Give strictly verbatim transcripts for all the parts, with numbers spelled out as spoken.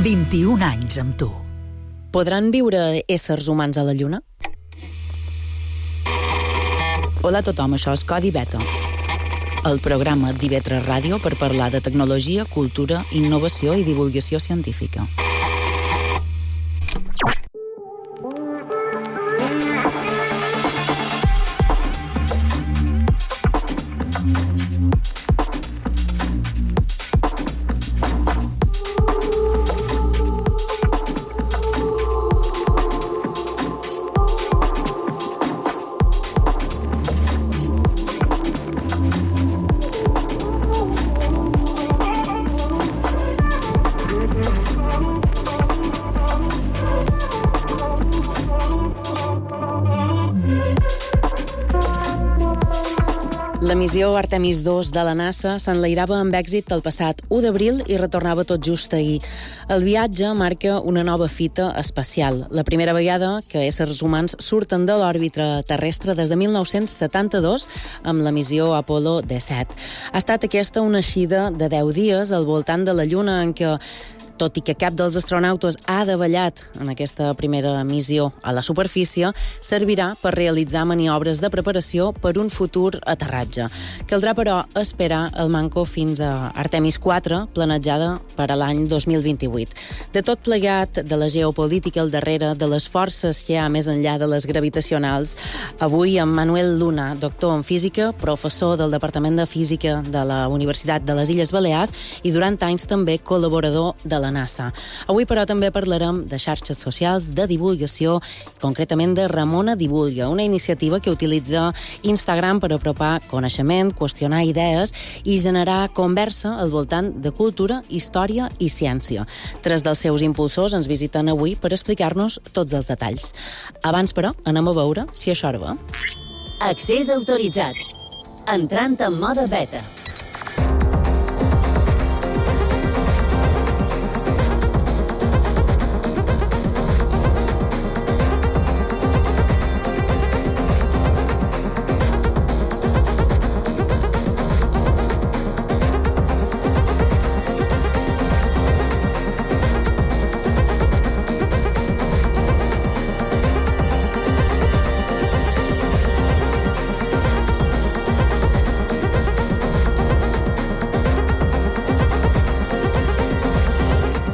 vint-i-un anys amb tu. Podran viure éssers humans a la Lluna? Hola a tothom, això és Codi Beta, el programa d'I V tres Ràdio per parlar de tecnologia, cultura, innovació i divulgació científica. La missió Artemis dos de la NASA s'enlairava amb èxit el passat u d'abril i retornava tot just ahir. El viatge marca una nova fita espacial, la primera vegada que éssers humans surten de l'òrbita terrestre des de mil nou-cents setanta-dos amb la missió Apollo disset. Ha estat aquesta una eixida de deu dies al voltant de la Lluna en què, tot i que cap dels astronautes ha davallat en aquesta primera missió a la superfície, servirà per realitzar maniobres de preparació per un futur aterratge. Caldrà, però, esperar el manco fins a Artemis quatre, planejada per a l'any dos mil vint-i-vuit. De tot plegat, de la geopolítica al darrere, de les forces que hi ha més enllà de les gravitacionals, avui amb Manuel Luna, doctor en física, professor del Departament de Física de la Universitat de les Illes Balears i durant anys també col·laborador de la NASA. Avui, però, també parlarem de xarxes socials, de divulgació, concretament de Ramona Divulga, una iniciativa que utilitza Instagram per apropar coneixement, qüestionar idees i generar conversa al voltant de cultura, història i ciència. Tres dels seus impulsors ens visiten avui per explicar-nos tots els detalls. Abans, però, anem a veure si això va. Accés autoritzat. Entrant en mode beta.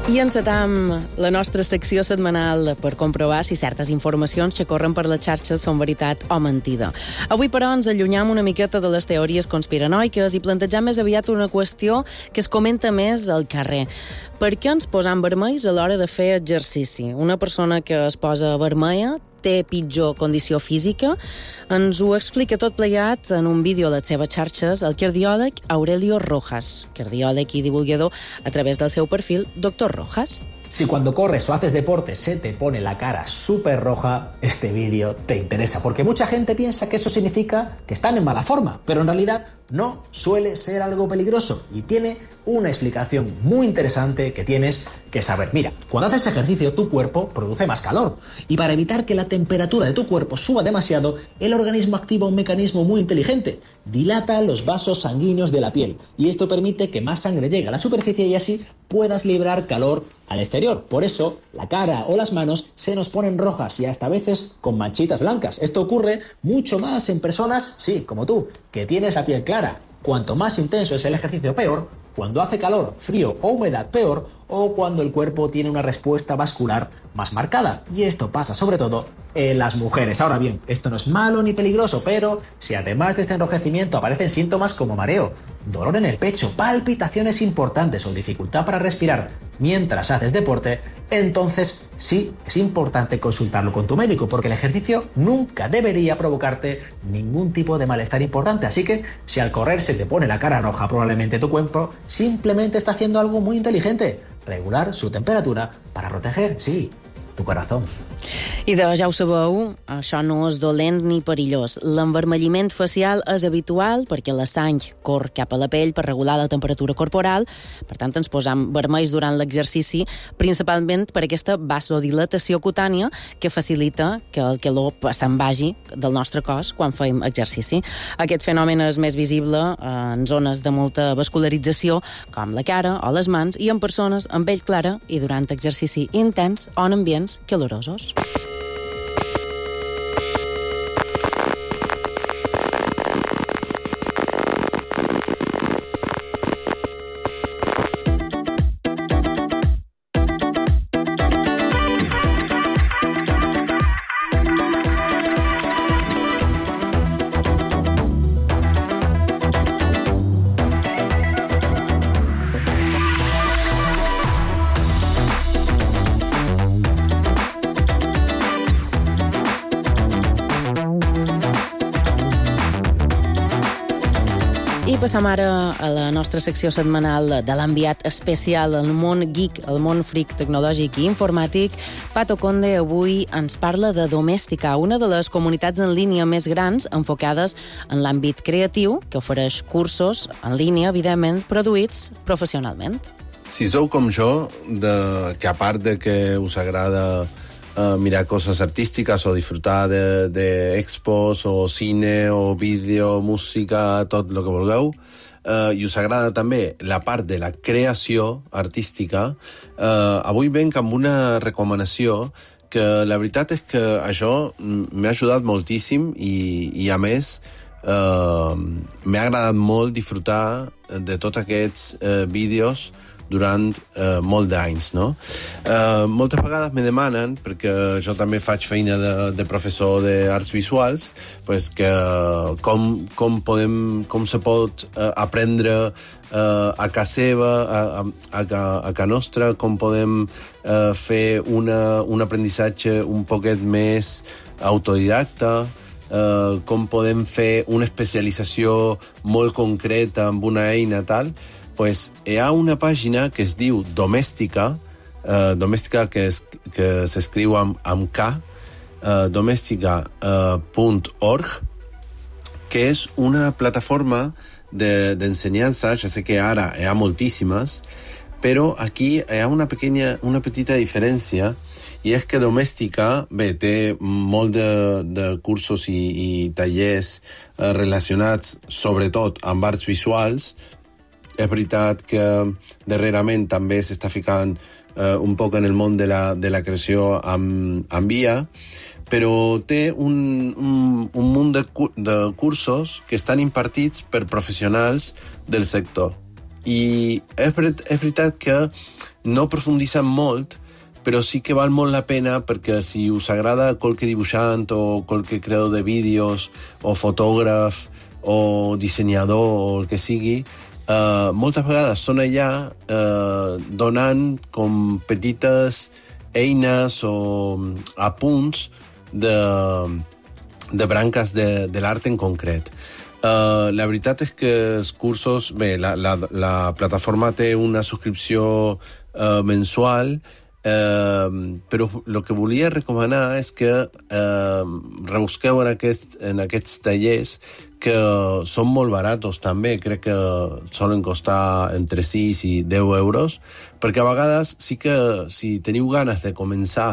I encetam la nostra secció setmanal per comprovar si certes informacions que corren per les xarxes són veritat o mentida. Avui, però, ens allunyam una miqueta de les teories conspiranoiques i plantegem més aviat una qüestió que es comenta més al carrer. Per què ens posam vermells a l'hora de fer exercici? Una persona que es posa vermella té pitjor condició física? Ens ho explica tot plegat en un vídeo a les seves xarxes el cardiòleg Aurelio Rojas, cardiòleg i divulgador a través del seu perfil Doctor Rojas. Si cuando corres o haces deporte se te pone la cara súper roja, este vídeo te interesa, porque mucha gente piensa que eso significa que están en mala forma, pero en realidad no suele ser algo peligroso y tiene una explicación muy interesante que tienes que saber. Mira, cuando haces ejercicio tu cuerpo produce más calor y para evitar que la temperatura de tu cuerpo suba demasiado, el organismo activa un mecanismo muy inteligente, dilata los vasos sanguíneos de la piel y esto permite que más sangre llegue a la superficie y así puedas liberar calor al exterior. Por eso, la cara o las manos se nos ponen rojas y hasta a veces con manchitas blancas. Esto ocurre mucho más en personas, sí, como tú, que tienes la piel clara. Cuanto más intenso es el ejercicio, peor. Cuando hace calor, frío o humedad, peor. O cuando el cuerpo tiene una respuesta vascular más marcada. Y esto pasa sobre todo en las mujeres. Ahora bien, esto no es malo ni peligroso, pero si además de este enrojecimiento aparecen síntomas como mareo, dolor en el pecho, palpitaciones importantes o dificultad para respirar mientras haces deporte, entonces sí es importante consultarlo con tu médico, porque el ejercicio nunca debería provocarte ningún tipo de malestar importante. Así que si al correr se te pone la cara roja, probablemente tu cuerpo simplemente está haciendo algo muy inteligente: regular su temperatura para proteger, sí, tu corazón. I de, ja ho sabeu, això no és dolent ni perillós. L'envermelliment facial és habitual perquè la sang corre cap a la pell per regular la temperatura corporal, per tant ens posam vermells durant l'exercici, principalment per aquesta vasodilatació cutània que facilita que el calor se'n vagi del nostre cos quan fem exercici. Aquest fenomen és més visible en zones de molta vascularització, com la cara o les mans, i en persones amb pell clara i durant exercici intens o en ambients calorosos. I passam ara a la nostra secció setmanal de l'enviat especial al món geek, al món freak tecnològic i informàtic. Pato Conde avui ens parla de Domèstica, una de les comunitats en línia més grans enfocades en l'àmbit creatiu, que ofereix cursos en línia, evidentment, produïts professionalment. Si sou com jo, de, que a part de que us agrada Uh, mirar coses artístiques o disfrutar d'expos de, de o cine o vídeo, música, tot el que vulgueu, uh, i us agrada també la part de la creació artística, uh, avui venc amb una recomanació que la veritat és que això m'ha ajudat moltíssim i, i a més uh, m'ha agradat molt disfrutar de tots aquests uh, vídeos durant eh, molt d'anys, no? Eh, moltes vegades me demanen, perquè jo també faig feina de, de professor d'arts visuals, pues que com, com, podem, com se pot eh, aprendre eh, a casa seva, a, a, a, a casa nostra, com podem eh, fer una, un aprenentatge un poquet més autodidacta, eh, com podem fer una especialització molt concreta amb una eina tal. Pues hi ha una pàgina que es diu Domèstica, eh, Domèstica que, es, que s'escriu amb, amb K, eh, domèstica punt org, eh, que és una plataforma d'ensenyança, de, ja sé que ara hi ha moltíssimes, però aquí hi ha una, pequeña, una petita diferència, i és que Domèstica, bé, té molt de, de cursos i, i tallers eh, relacionats sobretot amb arts visuals. És veritat que darrerament també s'està ficant eh, un poc en el món de la, de la creació amb, amb I A, però té un, un, un munt de, de cursos que estan impartits per professionals del sector. I és, és veritat que no profunditzen molt, però sí que val molt la pena perquè si us agrada qualque dibuixant o qualque creador de vídeos o fotògraf o dissenyador o el que sigui, Uh, moltes vegades són allà uh, donant com petites eines o apunts de, de branques de, de l'art en concret. Uh, la veritat és que els cursos... Bé, la, la, la plataforma té una subscripció uh, mensual, uh, però el que volia recomanar és que uh, rebusqueu en, aquest, en aquests tallers que són molt baratos també, crec que solen costar entre sis i deu euros, perquè a vegades sí que si teniu ganes de començar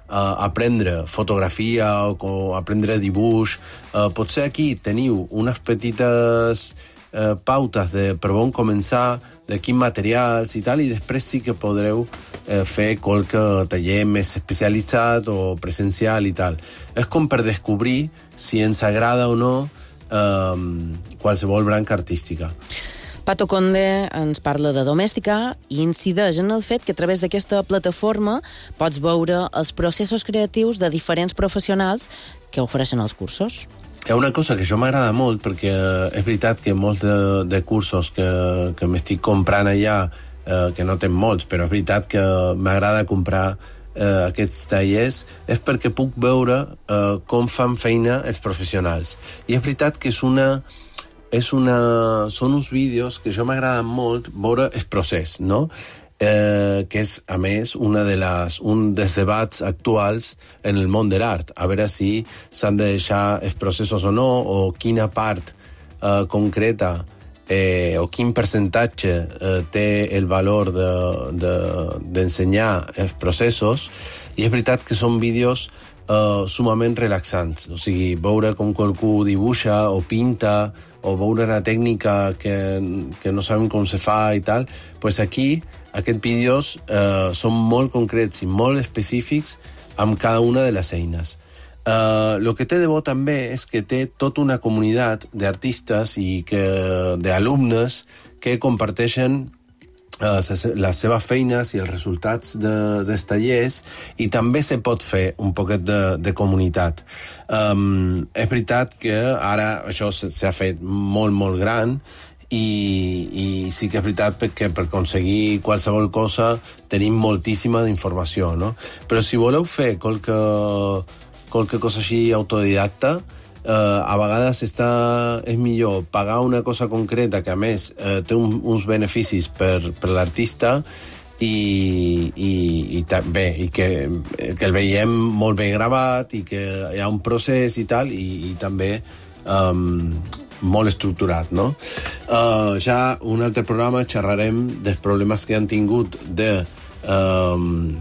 a aprendre fotografia o, o aprendre dibuix, eh, potser aquí teniu unes petites eh, pautes de per on començar, de quins materials i tal, i després sí que podreu eh, fer qualque taller més especialitzat o presencial i tal. És com per descobrir si ens agrada o no Um, qualsevol branca artística. Pato Conde ens parla de Domèstica i incideix en el fet que a través d'aquesta plataforma pots veure els processos creatius de diferents professionals que ofereixen els cursos. Hi ha una cosa que jo m'agrada molt, perquè és veritat que molts de, de cursos que, que m'estic comprant allà, eh, que no tenen molts, però és veritat que m'agrada comprar Uh, aquests tallers, és perquè puc veure uh, com fan feina els professionals. I és veritat que és una, és una, són uns vídeos que jo m'agraden molt veure el procés, no? eh, que és, a més, una de les, un dels debats actuals en el món de l'art. A veure si s'han de deixar els processos o no, o quina part eh, concreta eh, o quin percentatge eh, té el valor d'ensenyar de, de, els processos. I és veritat que són vídeos Uh, sumament relaxants, o sigui, veure com qualcú dibuixa o pinta o veure una tècnica que, que no sabem com se fa i tal, pues aquí aquests vídeos uh, són molt concrets i molt específics amb cada una de les eines. Uh, lo que té de bo també és que té tota una comunitat d'artistes i que, d'alumnes que comparteixen Uh, les seves feines i els resultats de, dels tallers, i també se pot fer un poquet de, de comunitat. Um, és veritat que ara això s'ha fet molt, molt gran i, i sí que és veritat que per aconseguir qualsevol cosa tenim moltíssima d'informació, no? Però si voleu fer qualque, qualque cosa així autodidacta, Uh, a vegades està, és millor pagar una cosa concreta que a més uh, té un, uns beneficis per, per l'artista i, i, i també i que, que el veiem molt ben gravat i que hi ha un procés i tal, i, i també um, molt estructurat, no? Uh, ja un altre programa xerrarem dels problemes que han tingut de um,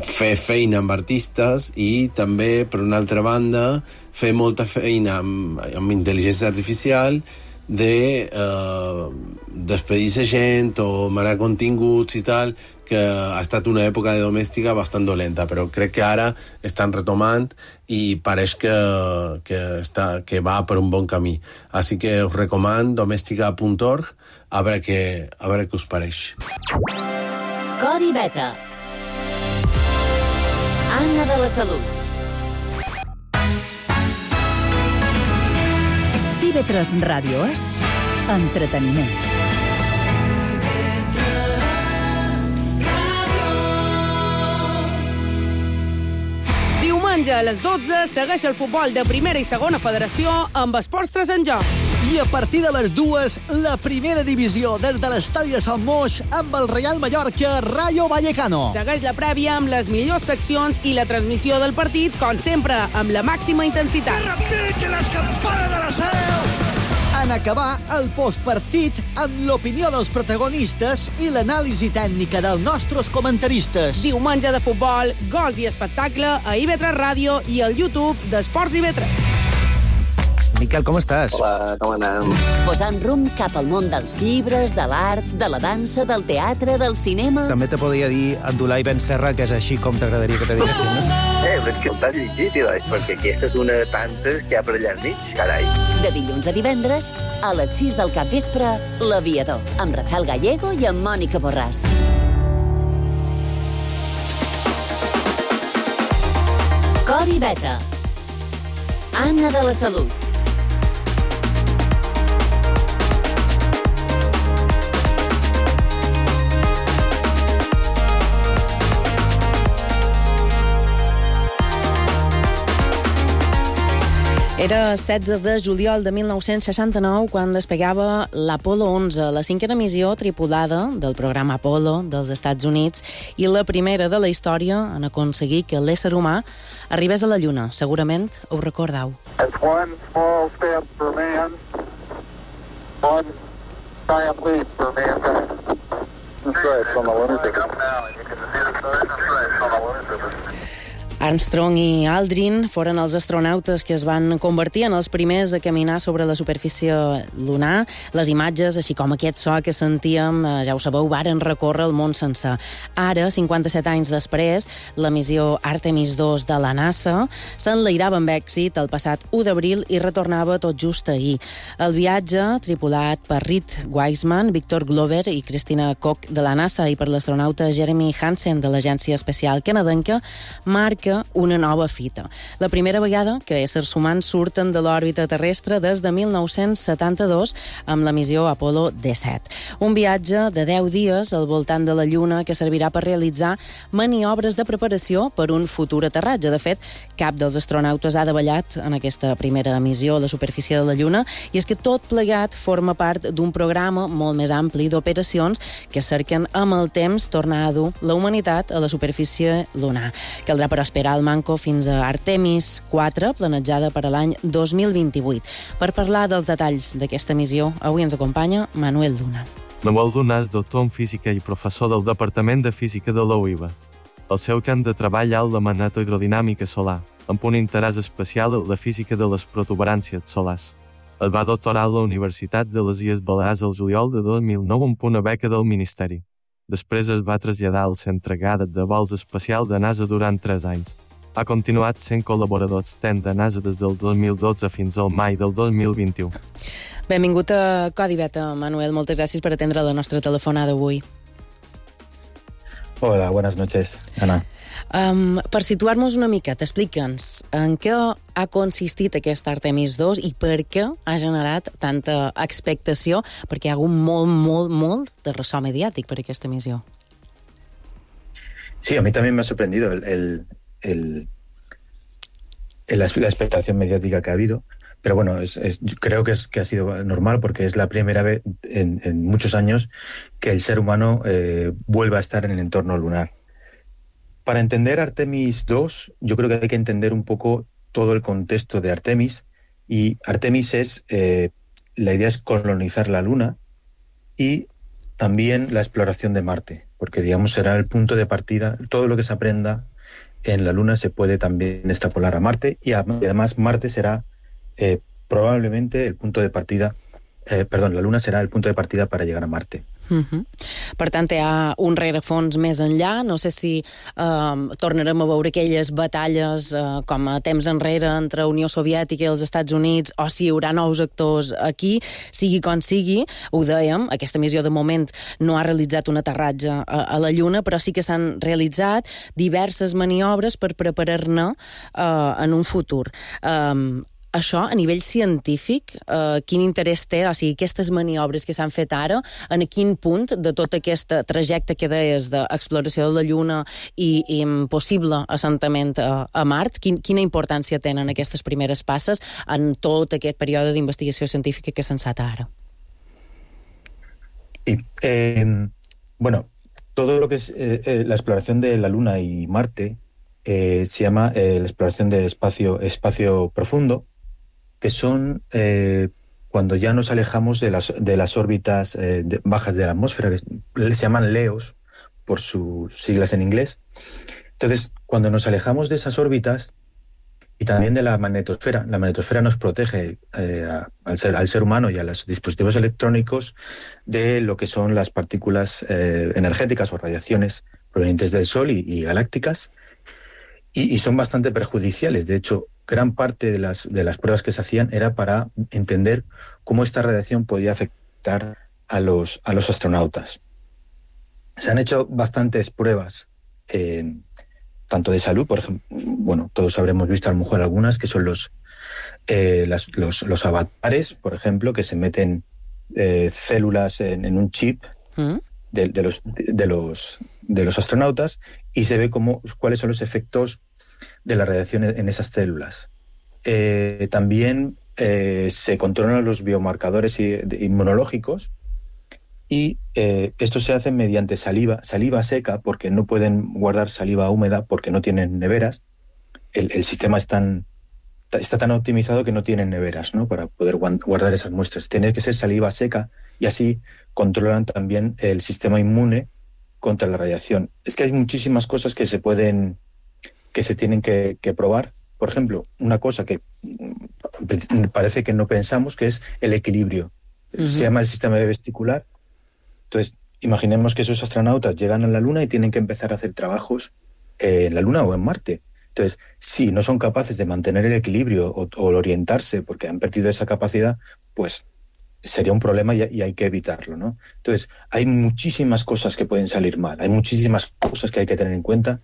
fer feina amb artistes i també, per una altra banda, fer molta feina amb, amb intel·ligència artificial de eh, despedir-se gent o manar continguts i tal, que ha estat una època de domèstica bastant dolenta, però crec que ara estan retomant i pareix que, que, està, que va per un bon camí. Així que us recomano domèstica punt org, a veure què, a veure què us pareix. Codi Beta. Anna de la Salut. T V tres Ràdio és entreteniment. Diumenge a les dotze segueix el futbol de primera i segona federació amb Esports tres en joc. I a partir de les dues, la primera divisió des de l'estadi de Sant Moix amb el Real Mallorca Rayo Vallecano. Segueix la prèvia amb les millors seccions i la transmissió del partit, com sempre, amb la màxima intensitat. Que repiquen les campanes de la Seu! En acabar el postpartit amb l'opinió dels protagonistes i l'anàlisi tècnica dels nostres comentaristes. Diumenge de futbol, gols i espectacle a I V tres Ràdio i al YouTube d'Esports I V tres. Miquel, com estàs? Hola, com anem? Posant rumb cap al món dels llibres, de l'art, de la dansa, del teatre, del cinema... També te podria dir Abdulai Ben Serra, que és així com t'agradaria que te diguessin, no? Eh, però és que t'has llegit, doncs, perquè aquesta és una de tantes que hi ha per allà enmig, carai. De dilluns a divendres, a les sis del capvespre, L'Aviador, amb Rafael Gallego i amb Mònica Borràs. Codi Beta. Anna de la Salut. Era setze de juliol de mil nou-cents seixanta-nou quan despegava l'Apolo onze, la cinquena missió tripulada del programa Apolo dels Estats Units i la primera de la història en aconseguir que l'ésser humà arribés a la Lluna. Segurament ho recordeu. It's one small step for man, one giant leap for mankind. Stripes on the lunar surface. Armstrong i Aldrin foren els astronautes que es van convertir en els primers a caminar sobre la superfície lunar. Les imatges, així com aquest so que sentíem, ja ho sabeu, varen recórrer el món sencer. Ara, cinquanta-set anys després, la missió Artemis dos de la NASA s'enlairava amb èxit el passat u d'abril i retornava tot just ahir. El viatge, tripulat per Reed Wiseman, Victor Glover i Christina Koch de la NASA i per l'astronauta Jeremy Hansen de l'Agència Espacial Canadenca, marca marca una nova fita. La primera vegada que éssers humans surten de l'òrbita terrestre des de mil nou-cents setanta-dos amb la missió Apolo disset. Un viatge de deu dies al voltant de la Lluna que servirà per realitzar maniobres de preparació per un futur aterratge. De fet, cap dels astronautes ha davallat en aquesta primera missió a la superfície de la Lluna, i és que tot plegat forma part d'un programa molt més ampli d'operacions que cerquen amb el temps tornar a dur la humanitat a la superfície lunar. Caldrà però esperar el manco fins a Artemis quatre, planejada per a l'any dos mil vint-i-vuit. Per parlar dels detalls d'aquesta missió, avui ens acompanya Manuel Luna. Manuel Luna és doctor en física i professor del Departament de Física de la U I B A. El seu camp de treball és la magnetohidrodinàmica solar, amb un interès especial en la física de les protuberàncies solars. Es va doctorar a la Universitat de les Illes Balears el juliol de dos mil nou amb una beca del Ministeri. Després es va traslladar al Centre Goddard de vols espacial de NASA durant tres anys. Ha continuat sent col·laborador extern de NASA des del dos mil dotze fins al maig del dos mil vint-i-u. Benvingut a Codi Beta, Manuel. Moltes gràcies per atendre la nostra telefonada avui. Hola, buenas noches, Ana. Um, per situar-nos una mica, t'explica'ns en què ha consistit aquest Artemis dos i per què ha generat tanta expectació, perquè hi ha hagut molt, molt, molt de ressò mediàtic per aquesta missió. Sí, a mí también me ha sorprendido el, el, el, el, la expectación mediática que ha habido, pero bueno, es, es, creo que, es, que ha sido normal porque es la primera vez en, en muchos años que el ser humano eh, vuelve a estar en el entorno lunar. Para entender Artemis dos, yo creo que hay que entender un poco todo el contexto de Artemis, y Artemis es, eh, la idea es colonizar la Luna y también la exploración de Marte, porque digamos será el punto de partida. Todo lo que se aprenda en la Luna se puede también extrapolar a Marte, y además Marte será eh, probablemente el punto de partida, eh, perdón, la Luna será el punto de partida para llegar a Marte. Uh-huh. Per tant, hi ha un rerefons més enllà. No sé si eh, tornarem a veure aquelles batalles eh, com a temps enrere entre Unió Soviètica i els Estats Units, o si hi haurà nous actors aquí. Sigui com sigui, ho dèiem, aquesta missió de moment no ha realitzat un aterratge a, a la Lluna, però sí que s'han realitzat diverses maniobres per preparar-ne eh, en un futur. Eh, Això, a nivell científic, eh, quin interès té? O sigui, aquestes maniobres que s'han fet ara, en quin punt de tot aquest trajecte que deies d'exploració de la Lluna i, i possible assentament a, a Mart, quin, quina importància tenen aquestes primeres passes en tot aquest període d'investigació científica que s'ha encetat ara? Y, eh, bueno, todo lo que es eh, eh, la exploración de la Luna y Marte eh, se llama eh, la exploración de espacio, espacio profundo, que son eh, cuando ya nos alejamos de las, de las órbitas eh, de, bajas de la atmósfera, que se llaman LEOs por sus siglas en inglés. Entonces, cuando nos alejamos de esas órbitas y también de la magnetosfera, la magnetosfera nos protege eh, a, al, ser, al ser humano y a los dispositivos electrónicos de lo que son las partículas eh, energéticas o radiaciones provenientes del Sol y, y galácticas, y, y son bastante perjudiciales. De hecho, gran parte de las, de las pruebas que se hacían era para entender cómo esta radiación podía afectar a los, a los astronautas. Se han hecho bastantes pruebas, eh, tanto de salud, por ejemplo, bueno, todos habremos visto a lo mejor algunas, que son los, eh, las, los, los avatares, por ejemplo, que se meten eh, células en, en un chip ¿Mm? de, de, los, de, los, de los astronautas, y se ve cómo, cuáles son los efectos de la radiación en esas células. Eh, también eh, se controlan los biomarcadores inmunológicos, y eh, esto se hace mediante saliva, saliva seca, porque no pueden guardar saliva húmeda porque no tienen neveras. El, el sistema es tan, está tan optimizado que no tienen neveras, ¿no?, para poder guardar esas muestras. Tiene que ser saliva seca, y así controlan también el sistema inmune contra la radiación. Es que hay muchísimas cosas que se pueden que se tienen que, que probar. Por ejemplo, una cosa que parece que no pensamos, que es el equilibrio. Uh-huh. Se llama el sistema vestibular. Entonces, imaginemos que esos astronautas llegan a la Luna y tienen que empezar a hacer trabajos eh, en la Luna o en Marte. Entonces, si no son capaces de mantener el equilibrio o, o orientarse porque han perdido esa capacidad, pues sería un problema y, y hay que evitarlo, ¿no? Entonces, hay muchísimas cosas que pueden salir mal, hay muchísimas cosas que hay que tener en cuenta.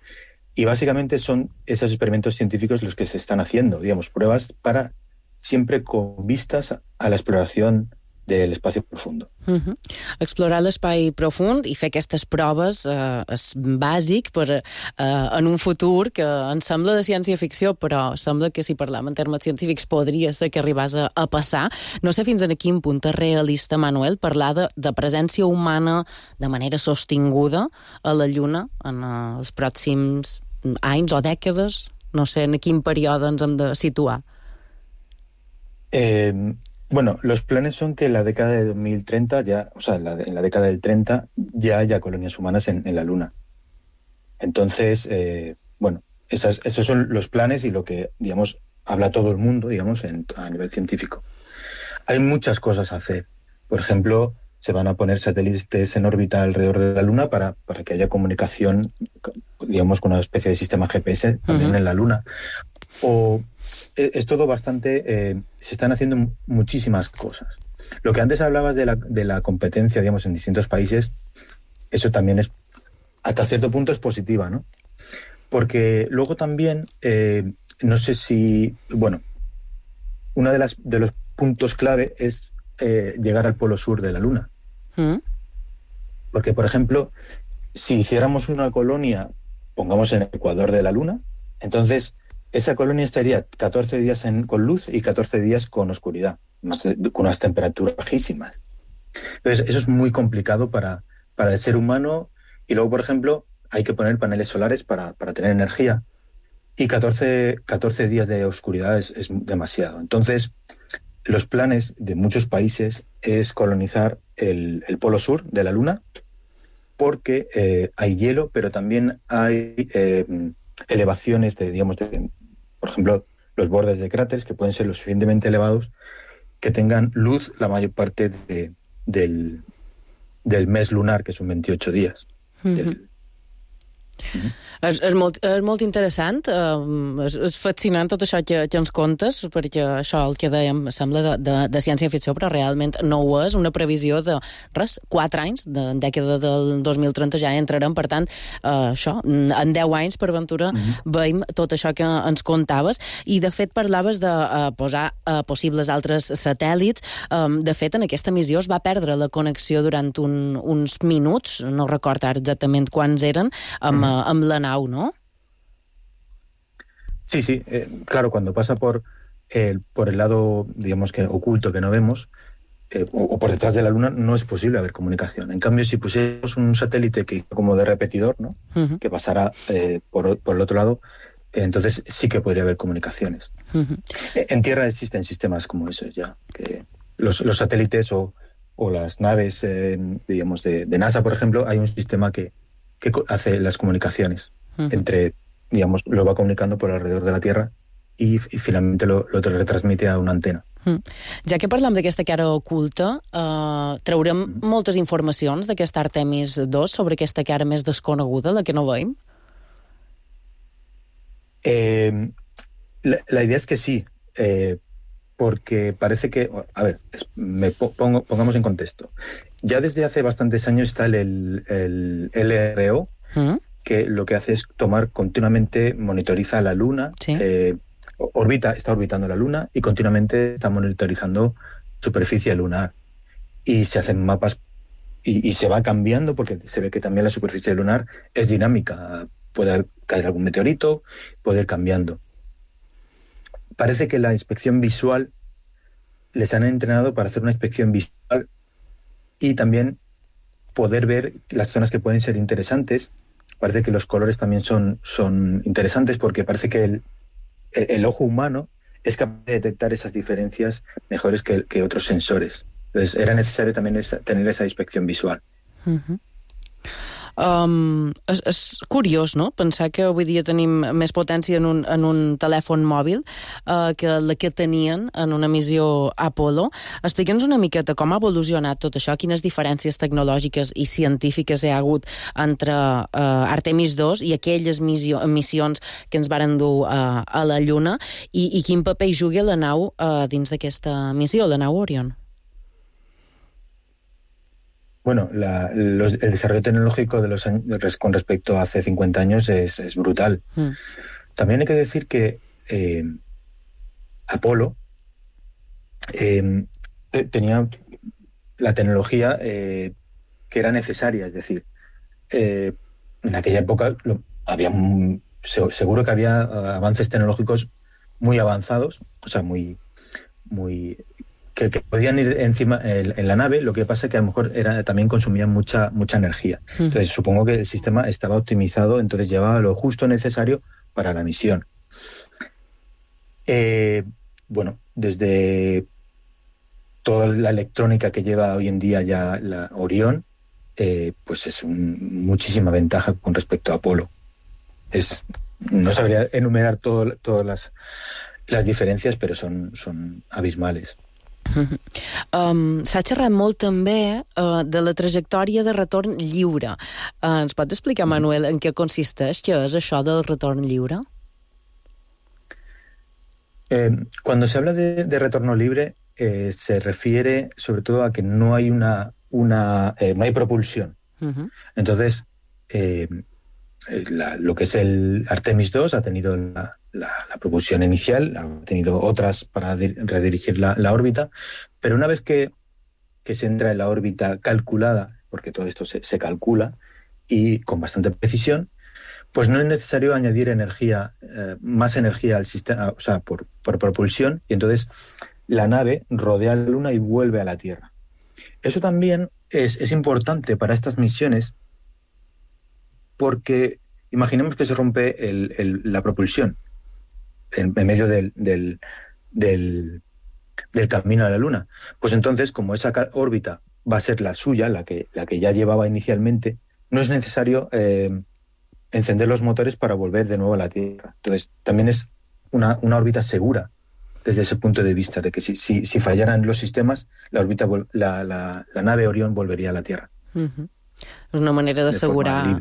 Y básicamente son esos experimentos científicos los que se están haciendo, digamos, pruebas para siempre con vistas a la exploración del espacio profundo. Uh-huh. Explorar l'espai profund i fer aquestes proves eh, és bàsic per, eh, en un futur que ens sembla de ciència-ficció, però sembla que si parlam en termes científics podria ser que arribàs a, a passar. No sé fins a quin punt és realista, Manuel, parlar de, de presència humana de manera sostinguda a la Lluna en eh, els pròxims anys o dècades. No sé en quin període ens hem de situar. Eh... Bueno, los planes son que en la década de dos mil treinta, ya, o sea, en la, en la década del treinta, ya haya colonias humanas en, en la Luna. Entonces, eh, bueno, esas, esos son los planes y lo que, digamos, habla todo el mundo, digamos, en, a nivel científico. Hay muchas cosas a hacer. Por ejemplo, se van a poner satélites en órbita alrededor de la Luna para, para que haya comunicación, digamos, con una especie de sistema G P S también uh-huh. en la Luna. O es todo bastante... Eh, se están haciendo muchísimas cosas. Lo que antes hablabas de la, de la competencia, digamos, en distintos países, eso también es, hasta cierto punto es positiva, ¿no? Porque luego también, eh, no sé si... Bueno, uno de, las, de los puntos clave es eh, llegar al polo sur de la Luna. ¿Mm? Porque, por ejemplo, si hiciéramos una colonia, pongamos en el ecuador de la Luna, entonces... esa colonia estaría catorce días en, con luz y catorce días con oscuridad, más de, con unas temperaturas bajísimas. Entonces, eso es muy complicado para, para el ser humano. Y luego, por ejemplo, hay que poner paneles solares para, para tener energía. Y catorce, catorce días de oscuridad es, es demasiado. Entonces, los planes de muchos países es colonizar el, el polo sur de la Luna, porque eh, hay hielo, pero también hay eh, elevaciones de, digamos, de, por ejemplo, los bordes de cráteres que pueden ser lo suficientemente elevados que tengan luz la mayor parte de, del, del mes lunar, que son veintiocho días. Mm-hmm. Del, Mm-hmm. És, és, molt, és molt interessant, uh, és, és fascinant tot això que, que ens contes, perquè això el que dèiem sembla de, de, de ciència-ficció, però realment no ho és, una previsió de, res, quatre anys, de dècada del dos mil trenta ja entrarem, per tant, uh, això, en deu anys, per ventura, mm-hmm. veiem tot això que ens contaves, i de fet parlaves de uh, posar uh, possibles altres satèl·lits. Um, de fet, en aquesta missió es va perdre la connexió durant un, uns minuts, no recordo ara exactament quants eren, amb, mm-hmm. uh, amb la nau, ¿no? Sí, sí, eh, claro, cuando pasa por, eh, por el lado, digamos que oculto que no vemos, eh, o, o por detrás de la Luna, no es posible haber comunicación. En cambio, si pusiéramos un satélite que como de repetidor, ¿no? Uh-huh. Que pasara eh, por, por el otro lado, eh, entonces sí que podría haber comunicaciones. Uh-huh. En tierra existen sistemas como esos ya, que los, los satélites o, o las naves, eh, digamos, de, de NASA, por ejemplo, hay un sistema que, que hace las comunicaciones. Uh-huh. Entre, digamos, lo va comunicando por alrededor de la Tierra y, y finalmente lo, lo retransmite a una antena. Mm. Ja que parlem d'aquesta cara oculta, eh, traurem mm. moltes informacions d'aquest Artemis dos sobre aquesta cara més desconeguda, la que no veiem? Eh, la, la idea es que sí, eh, porque parece que... A ver, me pongo, pongamos en contexto. Ya desde hace bastantes años está el, el, el L R O, ¿Mm? que lo que hace es tomar continuamente, monitoriza la Luna, ¿sí? eh, orbita, está orbitando la Luna y continuamente está monitorizando superficie lunar. Y se hacen mapas y, y se va cambiando porque se ve que también la superficie lunar es dinámica. Puede caer algún meteorito, puede ir cambiando. Parece que la inspección visual les han entrenado para hacer una inspección visual y también poder ver las zonas que pueden ser interesantes. Parece que los colores también son, son interesantes porque parece que el, el, el ojo humano es capaz de detectar esas diferencias mejores que, que otros sensores. Entonces era necesario también esa, tener esa inspección visual. Uh-huh. Um, és, és curiós, no?, pensar que avui dia tenim més potència en un, en un telèfon mòbil uh, que la que tenien en una missió Apollo. Explica'ns una miqueta com ha evolucionat tot això, quines diferències tecnològiques i científiques hi ha hagut entre uh, Artemis dos i aquelles missió, missions que ens varen dur uh, a la Lluna, i, i quin paper hi juga la nau uh, dins d'aquesta missió, la nau Orion. Bueno, la, los, el desarrollo tecnológico de los años, con respecto a hace cincuenta años es, es brutal. Mm. También hay que decir que eh, Apolo eh, tenía la tecnología eh, que era necesaria, es decir, eh, en aquella época lo, había un, seguro que había avances tecnológicos muy avanzados, o sea, muy, muy que, que podían ir encima en, en la nave. Lo que pasa es que a lo mejor era, también consumían mucha, mucha energía. Mm. Entonces supongo que el sistema estaba optimizado, entonces llevaba lo justo necesario para la misión. Eh, bueno, desde toda la electrónica que lleva hoy en día ya la Orión, eh, pues es un, muchísima ventaja con respecto a Apolo. Es, no sabría enumerar todo, todas las, las diferències, però són, són abismales. Um, S'ha xerrat molt també uh, de la trajectòria de retorn lliure. Uh, ens pots explicar, Manuel, en què consisteix? Què és això del retorn lliure? Eh, cuando se habla de, de retorno libre, eh, se refiere sobre todo a que no hay una, una eh, no hay propulsión. Uh-huh. Entonces, eh, La, lo que es el Artemis dos ha tenido la, la, la propulsión inicial, ha tenido otras para di- redirigir la, la órbita, pero una vez que, que se entra en la órbita calculada, porque todo esto se, se calcula y con bastante precisión, pues no es necesario añadir energía, eh, más energía al sistema, o sea, por, por propulsión, y entonces la nave rodea la Luna y vuelve a la Tierra. Eso también es, es importante para estas misiones, porque imaginemos que se rompe el, el, la propulsión en, en medio del, del, del, del camino a la Luna. Pues entonces, como esa órbita va a ser la suya, la que, la que ya llevaba inicialmente, no es necesario eh, encender los motores para volver de nuevo a la Tierra. Entonces, también es una, una órbita segura desde ese punto de vista, de que si, si, si fallaran los sistemas, la, órbita, la, la, la nave Orión volvería a la Tierra. Uh-huh. És una manera d'assegurar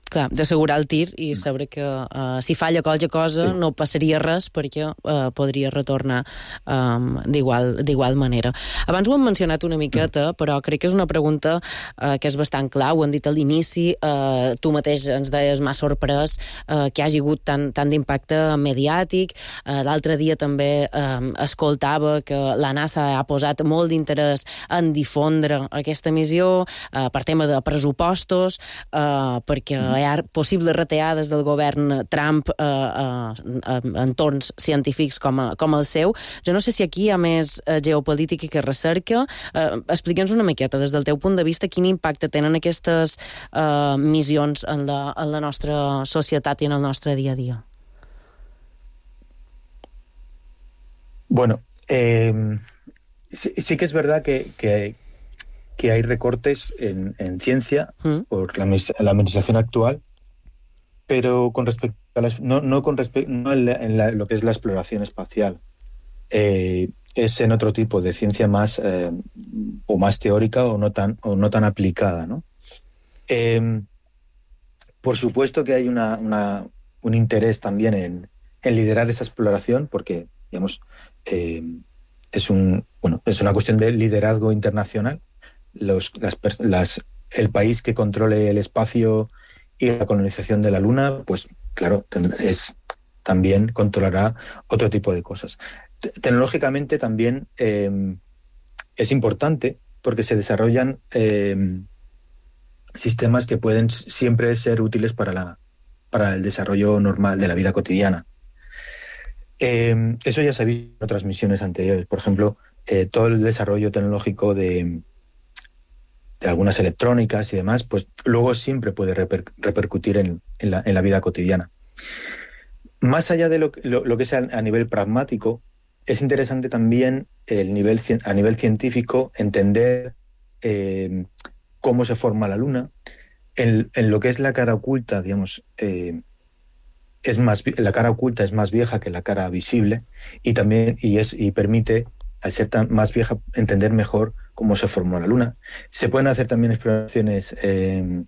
clar, d'assegurar el tir i saber que uh, si falla qualque cosa sí. no passaria res perquè uh, podria retornar um, d'igual, d'igual manera. Abans ho hem mencionat una miqueta, però crec que és una pregunta uh, que és bastant clau. Ho hem dit a l'inici, uh, tu mateix ens deies, m'ha sorprès uh, que hi hagi hagut tant, tant d'impacte mediàtic. Uh, l'altre dia també um, escoltava que la NASA ha posat molt d'interès en difondre aquesta missió uh, per tema de pressupostos, uh, perquè hi ha possibles retallades del govern Trump uh, uh, en entorns científics com, a, com el seu. Jo no sé si aquí hi ha més uh, geopolítica que recerca. Uh, Explica'ns una miqueta, des del teu punt de vista, quin impacte tenen aquestes uh, missions en la, en la nostra societat i en el nostre dia a dia. Bueno, eh, sí, sí que es verdad que, que que hay recortes en, en ciencia ¿Mm? por la, la administración actual, pero con respecto a las, no, no con respecto no en, la, en la, lo que es la exploración espacial, eh, es en otro tipo de ciencia más eh, o más teórica o no tan o no tan aplicada, ¿no? Eh, por supuesto que hay una, una un interés también en, en liderar esa exploración, porque digamos eh, es un bueno es una cuestión de liderazgo internacional. Los, las, las, el país que controle el espacio y la colonización de la Luna, pues claro, es, también controlará otro tipo de cosas. Tecnológicamente también eh, es importante porque se desarrollan eh, sistemas que pueden siempre ser útiles para, la, para el desarrollo normal de la vida cotidiana. Eh, eso ya se ha visto en otras misiones anteriores. Por ejemplo, eh, todo el desarrollo tecnológico de de algunas electrónicas y demás, pues luego siempre puede reper, repercutir en, en, la, en la vida cotidiana. Más allá de lo, lo, lo que sea a nivel pragmático, es interesante también el nivel, a nivel científico entender eh, cómo se forma la Luna. En, en lo que es la cara oculta, digamos, eh, es más, la cara oculta es más vieja que la cara visible y también y es y permite, al ser tan más vieja, entender mejor cómo se formó la Luna. Se pueden hacer también exploraciones eh,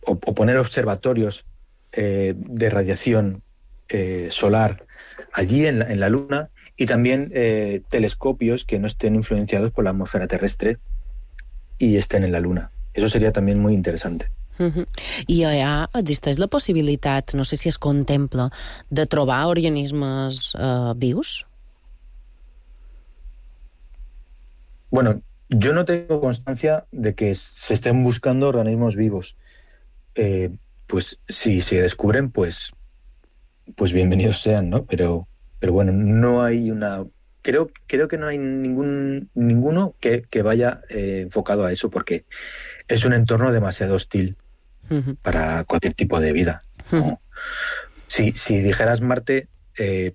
o, o poner observatorios eh, de radiación eh, solar allí en la, en la Luna y también eh, telescopios que no estén influenciados por la atmósfera terrestre y estén en la Luna. Eso sería también muy interesante. Uh-huh. I allà existeix la possibilitat, no sé si es contempla, de trobar organismes uh, vius? Bueno, yo no tengo constancia de que se estén buscando organismos vivos. Eh, pues si se descubren, pues, pues bienvenidos sean, ¿no? Pero, pero bueno, no hay una... Creo, creo que no hay ningún ninguno que, que vaya eh, enfocado a eso, porque es un entorno demasiado hostil uh-huh. para cualquier tipo de vida, ¿no? Uh-huh. Si, si dijeras Marte, eh,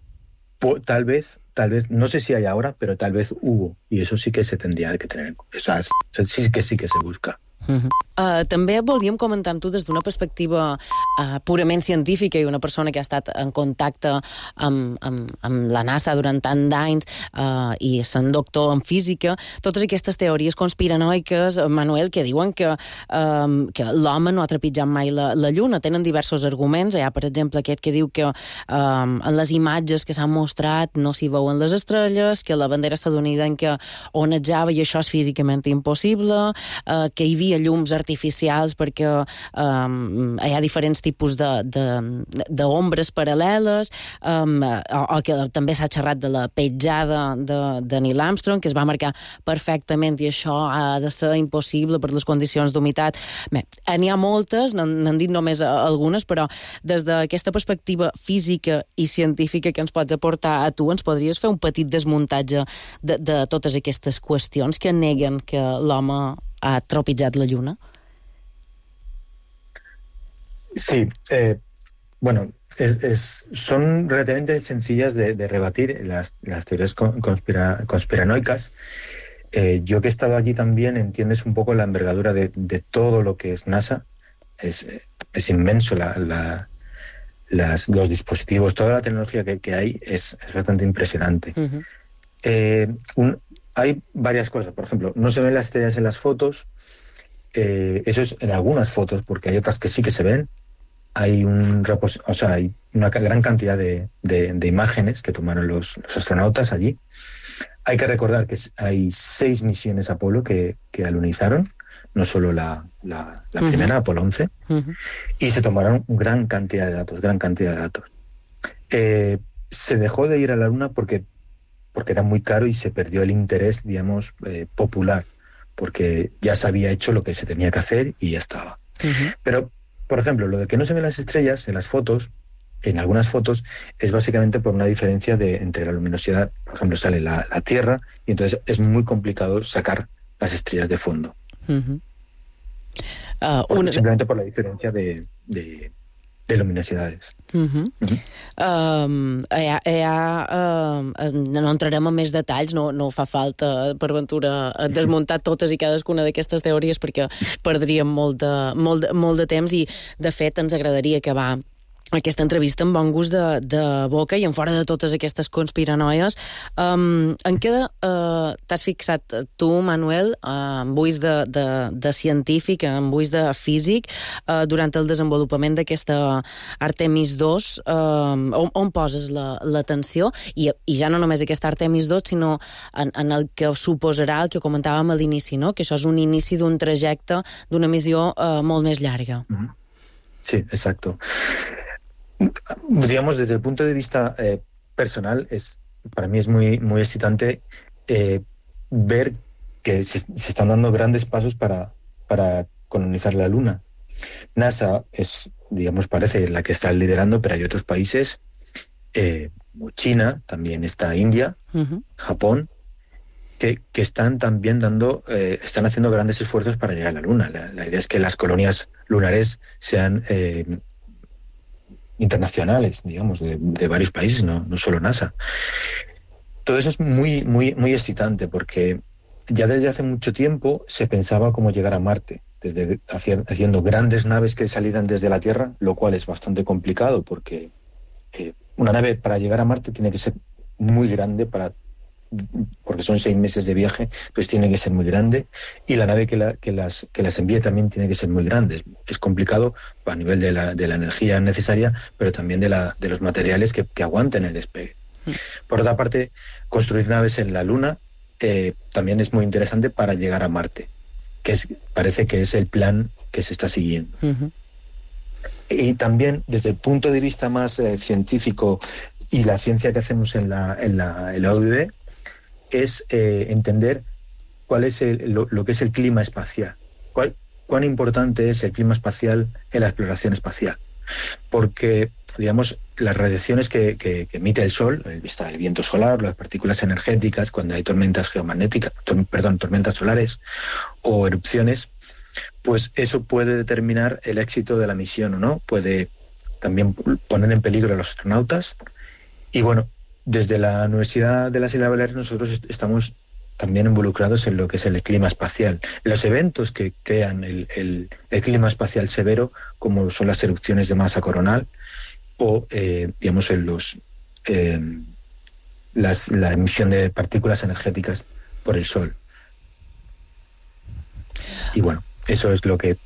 po, tal vez, tal vez, no sé si hay ahora, pero tal vez hubo, y eso sí que se tendría que tener en cuenta. O sea, sí que sí que se busca. Uh-huh. Uh, també volíem comentar amb tu des d'una perspectiva uh, purament científica i una persona que ha estat en contacte amb, amb, amb la NASA durant tant d'anys uh, i sent doctor en física, totes aquestes teories conspiranoiques, Manuel, que diuen que, um, que l'home no ha trepitjat mai la, la Lluna. Tenen diversos arguments. Hi ha, per exemple, aquest que diu que um, en les imatges que s'han mostrat no s'hi veuen les estrelles, que la bandera estadounidenca onejava i això és físicament impossible, uh, que hi havia llums artificials perquè um, hi ha diferents tipus d'ombres paral·leles, um, o, o que també s'ha xerrat de la petjada de, de Neil Armstrong, que es va marcar perfectament i això ha de ser impossible per les condicions d'humitat. Bé, n'hi ha moltes, n'han dit només algunes, però des d'aquesta perspectiva física i científica que ens pots aportar a tu, ens podries fer un petit desmuntatge de, de totes aquestes qüestions que neguen que l'home ha tropitjat la Lluna? Sí, eh, bueno, es, es, son relativamente sencillas de, de rebatir las, las teorías conspira, conspiranoicas. Eh, yo que he estado allí también, entiendes un poco la envergadura de, de todo lo que es NASA. Es, es inmenso la, la, las, los dispositivos, toda la tecnología que, que hay es, es bastante impresionante. Uh-huh. Eh, un, Hay varias cosas, por ejemplo, no se ven las estrellas en las fotos, eh, eso es en algunas fotos, porque hay otras que sí que se ven. Hay un repos- o sea, hay una gran cantidad de, de, de imágenes que tomaron los, los astronautas allí. Hay que recordar que hay seis misiones Apolo que, que alunizaron, no solo la, la, la uh-huh. primera, Apolo once, uh-huh. y se tomaron gran cantidad de datos, gran cantidad de datos. Eh, se dejó de ir a la Luna porque porque era muy caro y se perdió el interés, digamos, eh, popular, porque ya se había hecho lo que se tenía que hacer y ya estaba. Uh-huh. Pero, por ejemplo, lo de que no se ven las estrellas en las fotos, en algunas fotos, es básicamente por una diferencia de, entre la luminosidad. Por ejemplo, sale la, la Tierra y entonces es muy complicado sacar las estrellas de fondo. Uh-huh. uh, una... Simplemente por la diferencia de... de de luminosidades. Uh-huh. Uh-huh. Um, hi ha, hi ha, um, no entrarem en més detalls, no, no fa falta, per ventura, desmuntar totes i cadascuna d'aquestes teories perquè perdríem molt de, molt, de, molt de temps i, de fet, ens agradaria acabar aquesta entrevista amb bon gust de, de boca i en fora de totes aquestes conspiranoies. Um, en què uh, t'has fixat tu, Manuel, uh, amb ulls de, de, de científic, amb ulls de físic, uh, durant el desenvolupament d'aquesta Artemis dos? Uh, on, on poses l'atenció? La, I, I ja no només aquesta Artemis dos, sinó en, en el que suposarà el que comentàvem a l'inici, no? Que això és un inici d'un trajecte, d'una missió uh, molt més llarga. Sí, exacto. Digamos, desde el punto de vista eh, personal, es para mí es muy, muy excitante eh, ver que se, se están dando grandes pasos para, para colonizar la Luna. NASA es, digamos, parece la que está liderando, pero hay otros países, eh, como China, también está India, uh-huh. Japón, que, que están también dando, eh, están haciendo grandes esfuerzos para llegar a la Luna. La, la idea es que las colonias lunares sean eh, internacionales, digamos, de, de varios países, no, no solo NASA. Todo eso es muy, muy, muy excitante porque ya desde hace mucho tiempo se pensaba cómo llegar a Marte, desde haciendo grandes naves que salieran desde la Tierra, lo cual es bastante complicado porque eh, una nave para llegar a Marte tiene que ser muy grande para porque son seis meses de viaje, pues tiene que ser muy grande, y la nave que, la, que, las, que las envíe también tiene que ser muy grande. Es, es complicado a nivel de la, de la energía necesaria, pero también de, la, de los materiales que, que aguanten el despegue. Por otra parte, construir naves en la Luna eh, también es muy interesante para llegar a Marte. que es, parece que es el plan que se está siguiendo. Uh-huh. Y también, desde el punto de vista más eh, científico y la ciencia que hacemos en la, en la, en la U I B, es eh, entender cuál es el, lo, lo que es el clima espacial, cuál, cuán importante es el clima espacial en la exploración espacial. Porque, digamos, las radiaciones que, que, que emite el Sol, el, está el viento solar, las partículas energéticas, cuando hay tormentas geomagnéticas, tor, perdón, tormentas solares o erupciones, pues eso puede determinar el éxito de la misión o no, puede también poner en peligro a los astronautas. Y bueno, desde la Universidad de las Islas Baleares nosotros est- estamos también involucrados en lo que es el clima espacial. Los eventos que crean el, el, el clima espacial severo, como son las erupciones de masa coronal o, eh, digamos, en los, eh, las, la emisión de partículas energéticas por el Sol. Y bueno, eso es lo que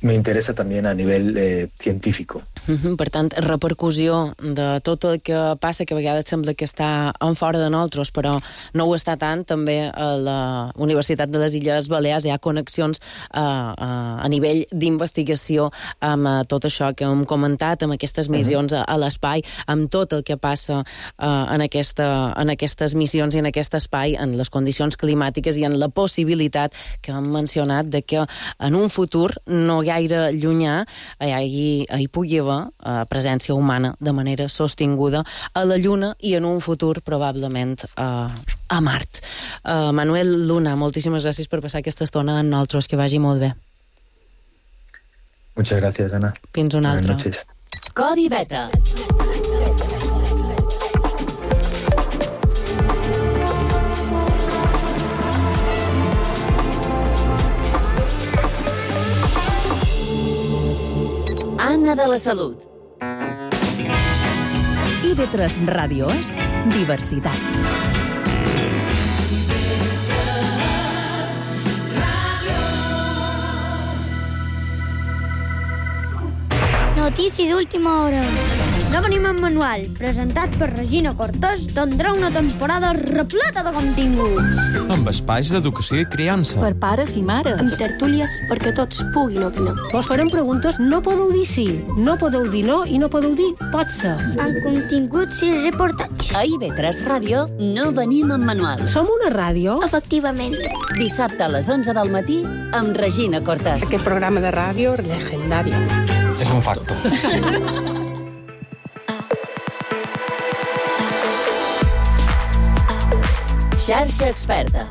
me interessa també a nivell eh, científic. Uh-huh. Per tant, repercussió de tot el que passa, que a vegades sembla que està en fora de nosaltres, però no ho està tant. També a la Universitat de les Illes Balears hi ha connexions uh, uh, a nivell d'investigació amb uh, tot això que hem comentat, amb aquestes missions uh-huh. a, a l'espai, amb tot el que passa uh, en, aquesta, en aquestes missions i en aquest espai, en les condicions climàtiques i en la possibilitat que hem mencionat de que en un futur no gaire llunyà hi, hi pugui haver uh, presència humana de manera sostinguda a la Lluna i en un futur probablement uh, a Mart. Uh, Manuel Luna, moltíssimes gràcies per passar aquesta estona amb nosaltres, que vagi molt bé. Muchas gracias, Ana. Fins una altra. Buenas noches. Codi Beta. Anna de la Salut. I ve tres Ràdio és diversitat. Notícies d'última hora. No venim en manual, presentat per Regina Cortés, tindrà una temporada repleta de continguts. Amb espais d'educació i criança. Per pares i mares. Amb tertúlies perquè tots puguin opinar. Vos farem preguntes, no podeu dir sí, no podeu dir no i no podeu dir pot ser. Amb continguts i reportatges. A I V tres Ràdio no venim en manual. Som una ràdio? Efectivament. Dissabte a les onze del matí amb Regina Cortés. Aquest programa de ràdio legendari. És un facto. Xarxa Experta.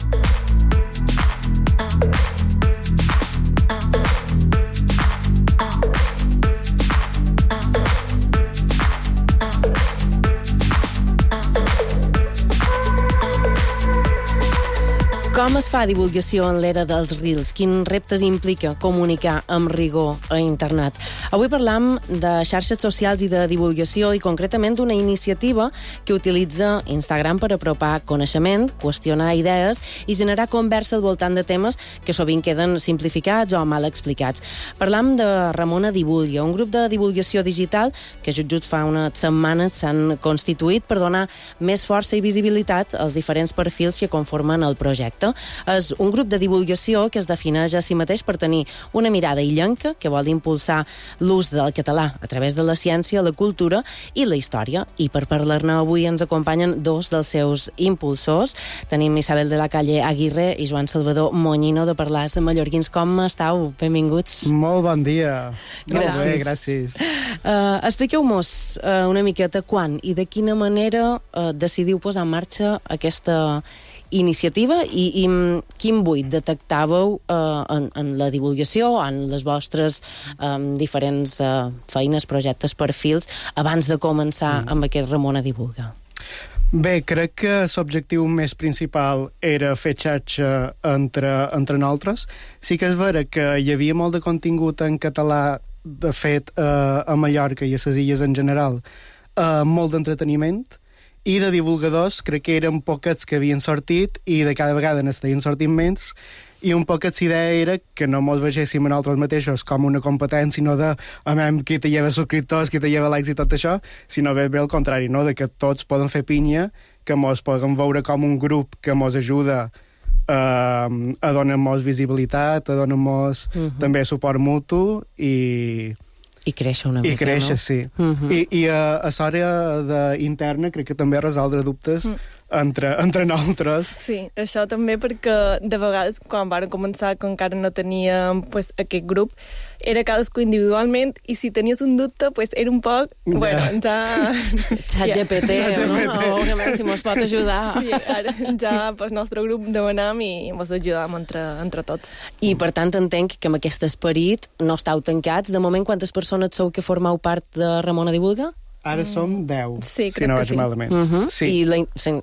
Com es fa divulgació en l'era dels Reels? Quins reptes implica comunicar amb rigor a internet? Avui parlam de xarxes socials i de divulgació i concretament d'una iniciativa que utilitza Instagram per apropar coneixement, qüestionar idees i generar conversa al voltant de temes que sovint queden simplificats o mal explicats. Parlam de Ramona Divulga, un grup de divulgació digital que just just fa unes setmanes s'han constituït per donar més força i visibilitat als diferents perfils que conformen el projecte. És un grup de divulgació que es defineix a si mateix per tenir una mirada illenca que vol impulsar l'ús del català a través de la ciència, la cultura i la història. I per parlar-ne avui ens acompanyen dos dels seus impulsors. Tenim Isabel de la Calle Aguirre i Joan Salvador Moñino de Parlars Mallorquins. Com estàu? Benvinguts. Molt bon dia. Gràcies. Molt bé, gràcies. Uh, Expliqueu-nos uh, una miqueta quan i de quina manera uh, decidiu posar en marxa aquesta iniciativa i, i quin buit detectàveu uh, en, en la divulgació, en les vostres um, diferents uh, feines, projectes, perfils, abans de començar mm. amb aquest Ramona Divulga? Bé, crec que l'objectiu més principal era fer xarxa entre, entre nosaltres. Sí que és vera que hi havia molt de contingut en català, de fet, uh, a Mallorca i a les illes en general, uh, molt d'entreteniment, i de divulgadors crec que eren poquets que havien sortit i de cada vegada n'estaven sortint menys, i un poquet l'idea era que no mos vegéssim a nosaltres mateixos com una competència, no de amem qui te lleva subscriptors, qui te lleva likes i tot això, sinó bé, bé al contrari, no? De que tots poden fer pinya, que mos poden veure com un grup que mos ajuda uh, a donar-nos visibilitat, a donar-nos uh -huh. també suport mutu i... I créixer una mica, I créixer, no? sí. Uh -huh. I, i a, a l'àrea de interna crec que també resoldre dubtes mm. entre, entre nosaltres. Sí, això també perquè de vegades quan vam començar, que encara no teníem pues, aquest grup, era cadascú individualment i si tenies un dubte pues, era un poc... Ja. Bueno, ja... ChatGPT, ja. no? O que si mos pot ajudar. Sí, ara ja pel nostre grup demanam i mos ajudam entre, entre tots. I per tant entenc que amb aquest esperit no estàu tancats. De moment, quantes persones sou que formeu part de Ramona Divulga? Ara som deu, sí, si no vaig sí. malament. Uh -huh. sí. I la,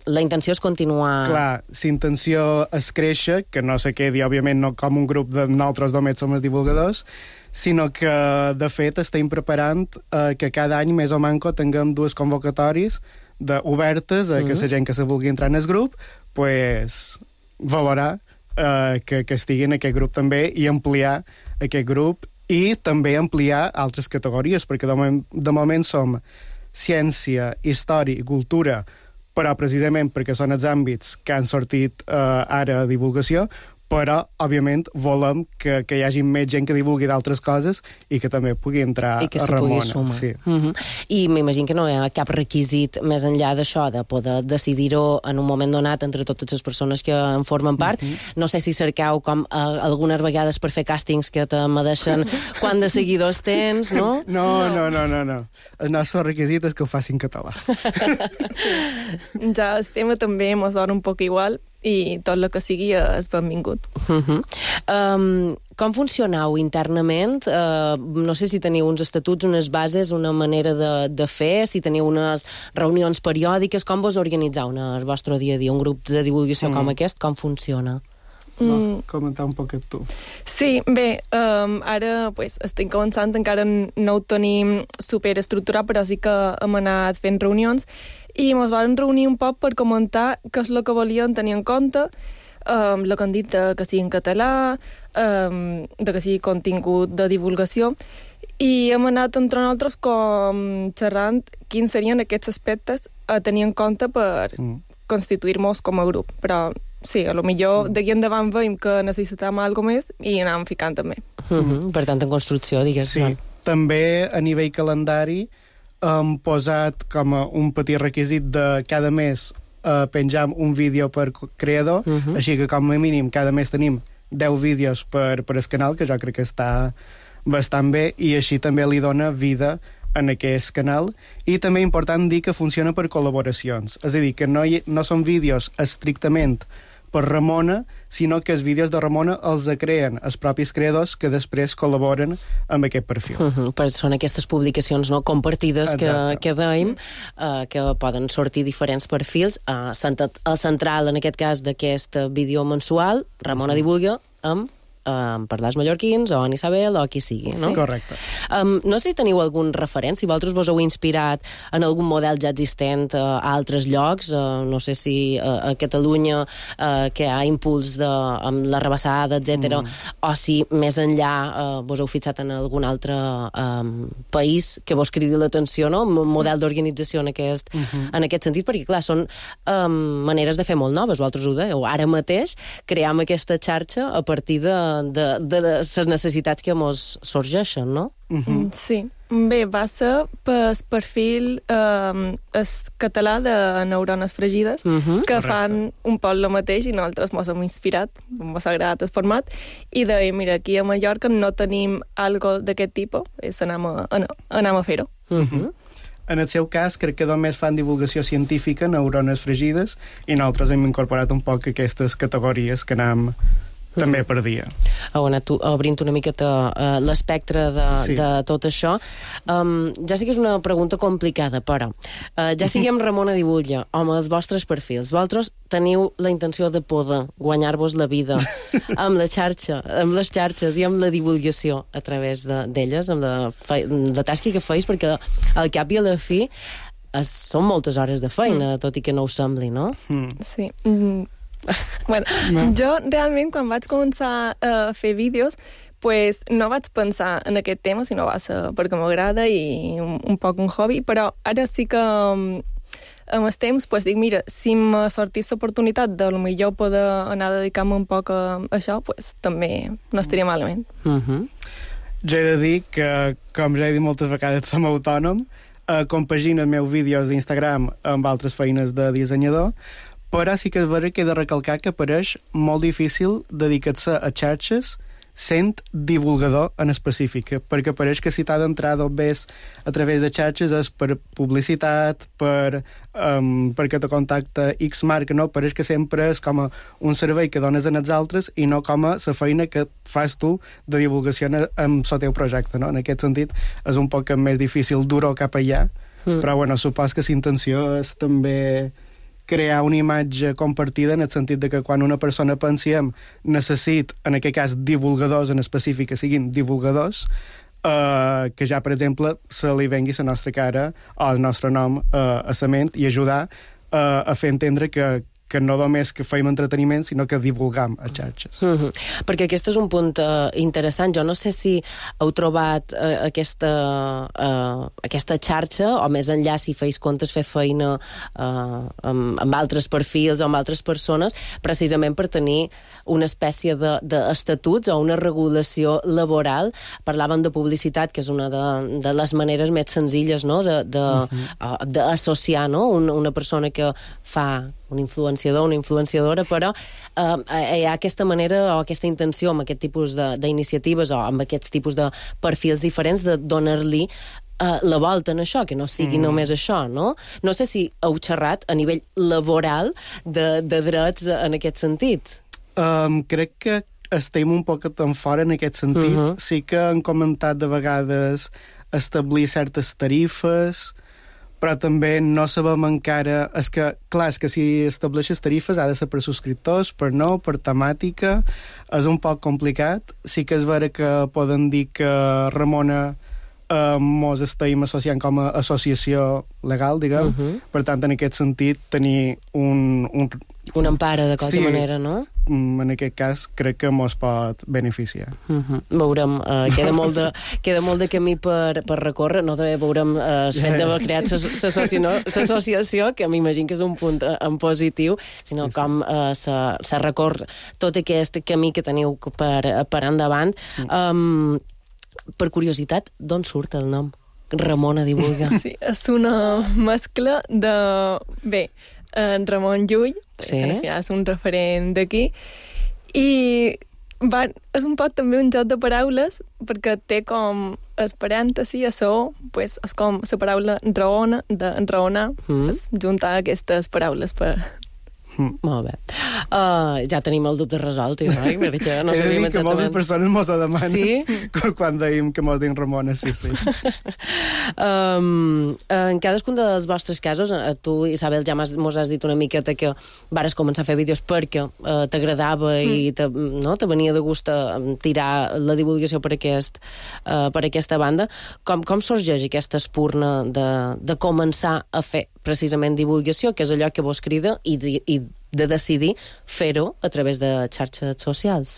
la intenció és continuar... Clar, la intenció és créixer, que no se quedi, òbviament, no com un grup de nosaltres només som els divulgadors, sinó que, de fet, estem preparant eh, que cada any, més o manco, tinguem dues convocatòries de, obertes a uh -huh. que la gent que se vulgui entrar en el grup pues, valorar eh, que, que estigui en aquest grup també i ampliar aquest grup i també ampliar altres categories, perquè de moment, de moment som ciència, història i cultura, però precisament perquè són els àmbits que han sortit eh, ara a divulgació, però, òbviament, volem que, que hi hagi més gent que divulgui d'altres coses i que també pugui entrar I que a se Ramona. Pugui sumar. Sí. Uh -huh. I m'imagino que no hi ha cap requisit més enllà d'això, de poder decidir-ho en un moment donat entre totes les persones que en formen part. Uh -huh. No sé si cercau com uh, algunes vegades per fer càstings que te medeixen quant de seguidors tens, no? No, no, no, no, no. El nostre requisit és que ho facin català. Sí. Ja el tema també mos dona un poc igual, i tot el que sigui és benvingut. Uh -huh. um, com funcioneu internament? Uh, no sé si teniu uns estatuts, unes bases, una manera de, de fer, si teniu unes reunions periòdiques, com vos organitzeu en el vostre dia a dia? Un grup de divulgació mm. com aquest, com funciona? Vols comentar un poquet tu? Sí, bé, um, ara pues, estem començant, encara no ho tenim superestructurat, però sí que hem anat fent reunions i ens vam reunir un poc per comentar què és el que volíem tenir en compte, um, el que han dit de que sigui en català, um, de que sigui contingut de divulgació, i hem anat entre nosaltres com xerrant quins serien aquests aspectes a tenir en compte per mm. constituir-nos com a grup. Però sí, a lo millor mm. d'aquí endavant veiem que necessitàvem alguna més i anàvem ficant també. Mm -hmm. Per tant, en construcció, digues. Sí, no? També a nivell calendari hem posat com a un petit requisit de cada mes uh, penjar un vídeo per creador, uh -huh. així que com a mínim cada mes tenim deu vídeos per, per el canal, que jo crec que està bastant bé, i així també li dona vida en aquest canal. I també important dir que funciona per col·laboracions, és a dir, que no, hi, no són vídeos estrictament per Ramona, sinó que els vídeos de Ramona els creen els propis creadors que després col·laboren amb aquest perfil. Uh -huh, però són aquestes publicacions no compartides que, que dèiem, uh, que poden sortir diferents perfils. Uh, el central, en aquest cas, d'aquest vídeo mensual, Ramona Divulga, amb Um, per les mallorquins o en Isabel o qui sigui, no? Sí. Correcte. Um, no sé si teniu algun referent, si vosaltres vos heu inspirat en algun model ja existent uh, a altres llocs, uh, no sé si uh, a Catalunya uh, que hi ha impuls de, amb la rebassada, etcètera, mm. o si més enllà uh, vos heu fixat en algun altre um, país que vos cridi l'atenció, no? Un model d'organització en aquest, mm -hmm. en aquest sentit, perquè clar, són um, maneres de fer molt noves, vosaltres ho dèieu. Ara mateix cream aquesta xarxa a partir de de, de les necessitats que mos sorgeixen, no? Uh-huh. Sí. Bé, va ser pel perfil eh, es català de Neurones Fregides, uh-huh. que Correcte. Fan un poc el mateix i nosaltres mos hem inspirat, mos ha agradat el format, i de, mira, aquí a Mallorca no tenim algo d'aquest tipus, és anem a, anem a fer-ho. Uh-huh. En el seu cas, crec que només fan divulgació científica, Neurones Fregides, i nosaltres hem incorporat un poc aquestes categories que anem també per dia. Heu anat obrint una miqueta uh, l'espectre de, sí. de tot això. Um, ja sé que és una pregunta complicada, però uh, ja sigui amb Ramona Divulga o amb els vostres perfils, vosaltres teniu la intenció de poder guanyar-vos la vida amb la xarxa, amb les xarxes i amb la divulgació a través d'elles, de, amb la, fe, la tasca que feis, perquè al cap i a la fi es, són moltes hores de feina, mm. tot i que no us sembli, no? Mm. Sí. Mm. Bueno, no. Jo realment quan vaig començar a fer vídeos pues, no vaig pensar en aquest tema, sinó va ser perquè m'agrada i un, un poc un hobby, però ara sí que um, amb el temps, pues, dic, mira, si me sortís l'oportunitat de millor poder anar a dedicar-me un poc a això, pues, també no estaria malament. Uh-huh. Jo he de dir que, com ja he dit moltes vegades, som autònom, eh, compagino els meus vídeos d'Instagram amb altres feines de dissenyador, però sí que és vera que he de recalcar que pareix molt difícil dedicar-se a xarxes sent divulgador en específic, perquè pareix que si t'ha d'entrar dos vés a través de xarxes és per publicitat, per, um, perquè te contacta X marca, no? Pareix que sempre és com a un servei que dones en els altres i no com a la feina que fas tu de divulgació en el teu projecte, no? En aquest sentit és un poc més difícil dur-ho cap allà, mm. però bueno, supos que la intenció és també crear una imatge compartida en el sentit de que quan una persona pensem necessit, en aquest cas, divulgadors en específic que siguin divulgadors, eh, que ja, per exemple, se li vengui la nostra cara o el nostre nom eh, a la ment i ajudar eh, a fer entendre que, que no només que feim entreteniment, sinó que divulgam a xarxes. Mm-hmm. Perquè aquest és un punt uh, interessant. Jo no sé si heu trobat uh, aquesta, uh, aquesta xarxa, o més enllà si feis comptes fer feina uh, amb, amb altres perfils o amb altres persones, precisament per tenir una espècie d'estatuts de, de o una regulació laboral. Parlàvem de publicitat, que és una de, de les maneres més senzilles, no? de, de, mm-hmm. uh, d'associar, no? una, una persona que fa un influenciador, una influenciadora, però eh, hi ha aquesta manera o aquesta intenció amb aquest tipus d'iniciatives o amb aquests tipus de perfils diferents de donar-li eh, la volta en això, que no sigui mm. només això, no? No sé si heu xerrat a nivell laboral de, de drets en aquest sentit. Um, crec que estem un poc tan fora en aquest sentit. Uh-huh. Sí que han comentat de vegades establir certes tarifes, però també no sabem encara... És que, clar, és que si estableixes tarifes ha de ser per subscriptors, per no, per temàtica, és un poc complicat. Sí que és vera que poden dir que Ramona eh, mos estem associant com a associació legal, diguem. Uh-huh. Per tant, en aquest sentit, tenir un... un una empara, de qualque sí, manera, no? En aquest cas, crec que mos pot beneficiar. Uh-huh. Veurem, uh, queda, molt de, queda molt de camí per, per recórrer, no? De, veurem uh, el fet d'haver creat l'associació, que m'imagino que és un punt uh, en positiu, sinó sí, sí. com uh, se, se recorre tot aquest camí que teniu per, per endavant. Um, per curiositat, d'on surt el nom? Ramona Divulga. Sí, és una mescla de... Bé, en Ramon Llull, sí. és un referent d'aquí, i va, és un poc també un joc de paraules, perquè té com es parèntesi a so, pues, és com la paraula raona, de raonar, mm. és juntar aquestes paraules per... Mm. Molt bé. Uh, ja tenim el dubte resolt, oi? Perquè no he de dir que moltes persones mos ho demanen. Sí? Quan deim que mos deim Ramona, sí, sí. um, en cadascun dels vostres casos, tu, Isabel, ja mos has dit una miqueta que vares començar a fer vídeos perquè uh, t'agradava mm. i te, no, te venia de gust a tirar la divulgació per, aquest, uh, per aquesta banda. Com, com sorgeix aquesta espurna de, de començar a fer precisament divulgació, que és allò que vos crida, i, i de decidir fer-ho a través de xarxes socials?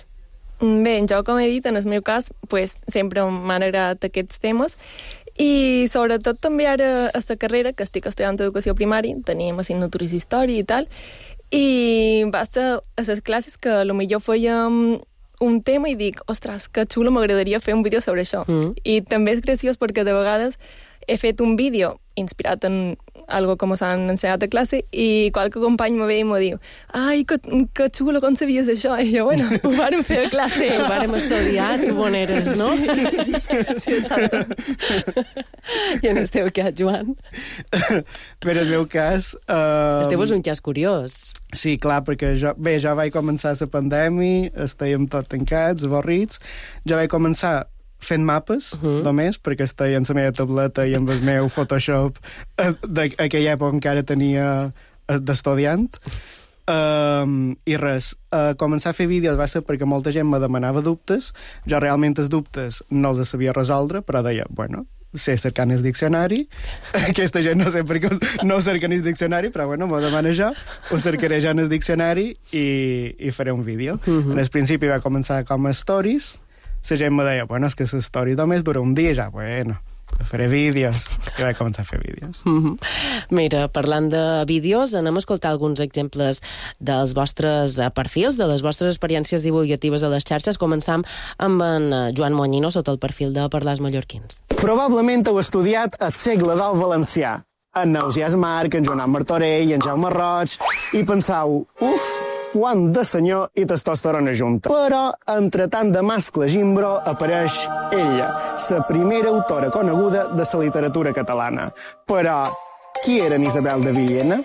Bé, jo, com he dit, en el meu cas, pues, sempre m'han agradat aquests temes, i sobretot també ara a la carrera, que estic estudiant educació primària, teníem assignatures d'història i tal, i va ser a les classes que potser fèiem un tema i dic, ostres, que xulo, m'agradaria fer un vídeo sobre això. Mm. I també és graciós perquè de vegades he fet un vídeo inspirat en algo com s'han ensenyat a classe i qualque company me ve i me diu ai, que, que xulo, com sabies això? I jo, bueno, ho vàrem fer a classe. Ho vàrem estudiar, tu on eres, no? Sí, sí, exacte. I en el teu cas, Joan? Per el meu cas... Uh... El teu és un cas curiós. Sí, clar, perquè jo, bé, jo vaig començar la pandèmia, estàvem tots tancats, avorrits, jo vaig començar fent mapes, uh-huh. només, perquè estava en la meva tableta i amb el meu Photoshop d'aquella època encara tenia d'estudiant. Um, I res, uh, començar a fer vídeos va ser perquè molta gent me demanava dubtes. Jo realment els dubtes no els sabia resoldre, però deia, bueno, sé cercar en el diccionari. Aquesta gent no sé per què no cerca en el diccionari, però bueno, m'ho demana jo, ho cercaré jo en el diccionari i, i faré un vídeo. Uh-huh. En el principi va començar com a stories. La gent me deia, bueno, és que la story només dura un dia, ja, bueno, Faré vídeos, que vaig començar a fer vídeos. Mm-hmm. Mira, parlant de vídeos, anem a escoltar alguns exemples dels vostres perfils, de les vostres experiències divulgatives a les xarxes. Començam amb en Joan Moñino, sota el perfil de Parlars Mallorquins. Probablement heu estudiat el segle del valencià, en Neusias Marc, en Joan Martorell, en Jaume Roig, i pensau, uf, quant de senyor i testosterona junta. Però, entre tant de mascle gimbro, apareix ella, la primera autora coneguda de la literatura catalana. Però, qui era Isabel de Villena?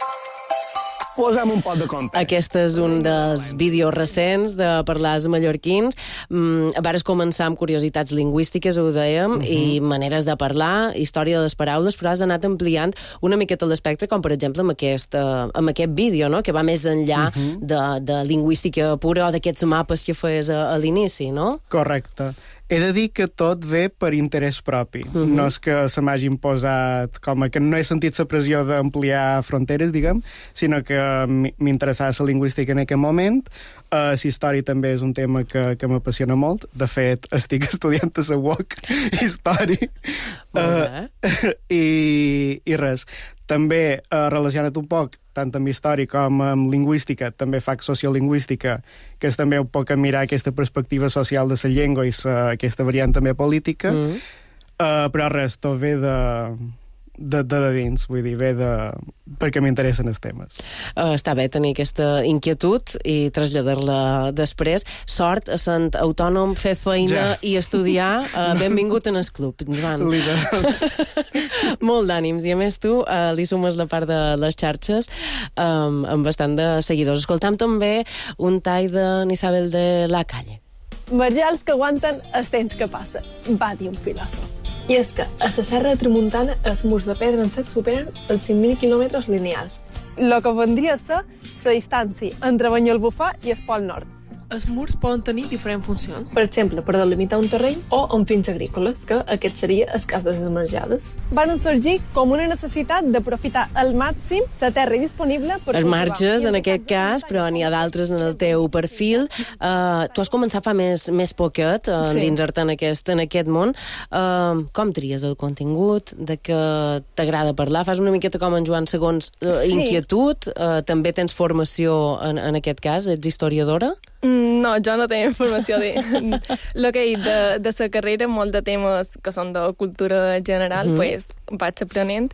Posem un pot de context. Aquest és un dels vídeos recents de Parlars Mallorquins. Mm, vares començar amb curiositats lingüístiques, ho dèiem, uh-huh. i maneres de parlar, història de les paraules, però has anat ampliant una miqueta l'espectre, com per exemple amb aquest, uh, amb aquest vídeo, no?, que va més enllà uh-huh. de, de lingüística pura o d'aquests mapes que feies a, a l'inici, no? Correcte. He de dir que tot ve per interès propi. Uh-huh. No és que se m'hagi imposat, com que no he sentit la pressió d'ampliar fronteres, diguem, sinó que m'interessava la lingüística en aquell moment. Uh, la història també és un tema que, que m'apassiona molt. De fet, estic estudiant a la U O C història. Uh, i, I res. També, uh, relacionat un poc, tant amb història com amb lingüística, també faig sociolingüística, que és també un poc a mirar aquesta perspectiva social de la llengua i sa, aquesta variant també política. Mm. Uh, però res, tot ve de... De, de, de dins, vull dir, ve de... perquè m'interessen els temes. Uh, està bé tenir aquesta inquietud i traslladar-la després. Sort, sent autònom, fer feina ja. I estudiar. Uh, benvingut en el club, Joan. Molt d'ànims. I a més tu uh, li sumes la part de les xarxes um, amb bastant de seguidors. Escoltam també un tall de Isabel de la Calle. Marjals que aguanten el temps que passa, va dir un filòsof. I és que a la serra de Tramuntana els murs de pedra en sec superen els cinc mil quilòmetres lineals. El que vendria a ser la distància entre Banyalbufar i el Pol Nord. Els murs poden tenir diferents funcions. Per exemple, per delimitar un terreny o amb fins agrícoles, que aquest seria el cas de les marjades. Van sorgir com una necessitat d'aprofitar al màxim la terra disponible per... Els marges, en aquest cas, però n'hi ha d'altres en el teu perfil. Uh, tu has començat fa més, més poquet uh, sí. Dins-te en, aquest, en aquest món. Uh, com tries el contingut? De què t'agrada parlar? Fas una miqueta com en Joan segons uh, sí. Inquietud? Uh, també tens formació en, en aquest cas? Ets historiadora? No, jo no tengo informació de... Lo que he dit de, de la carrera, molt de temes que són de cultura general, mm. pues, vaig aprenent.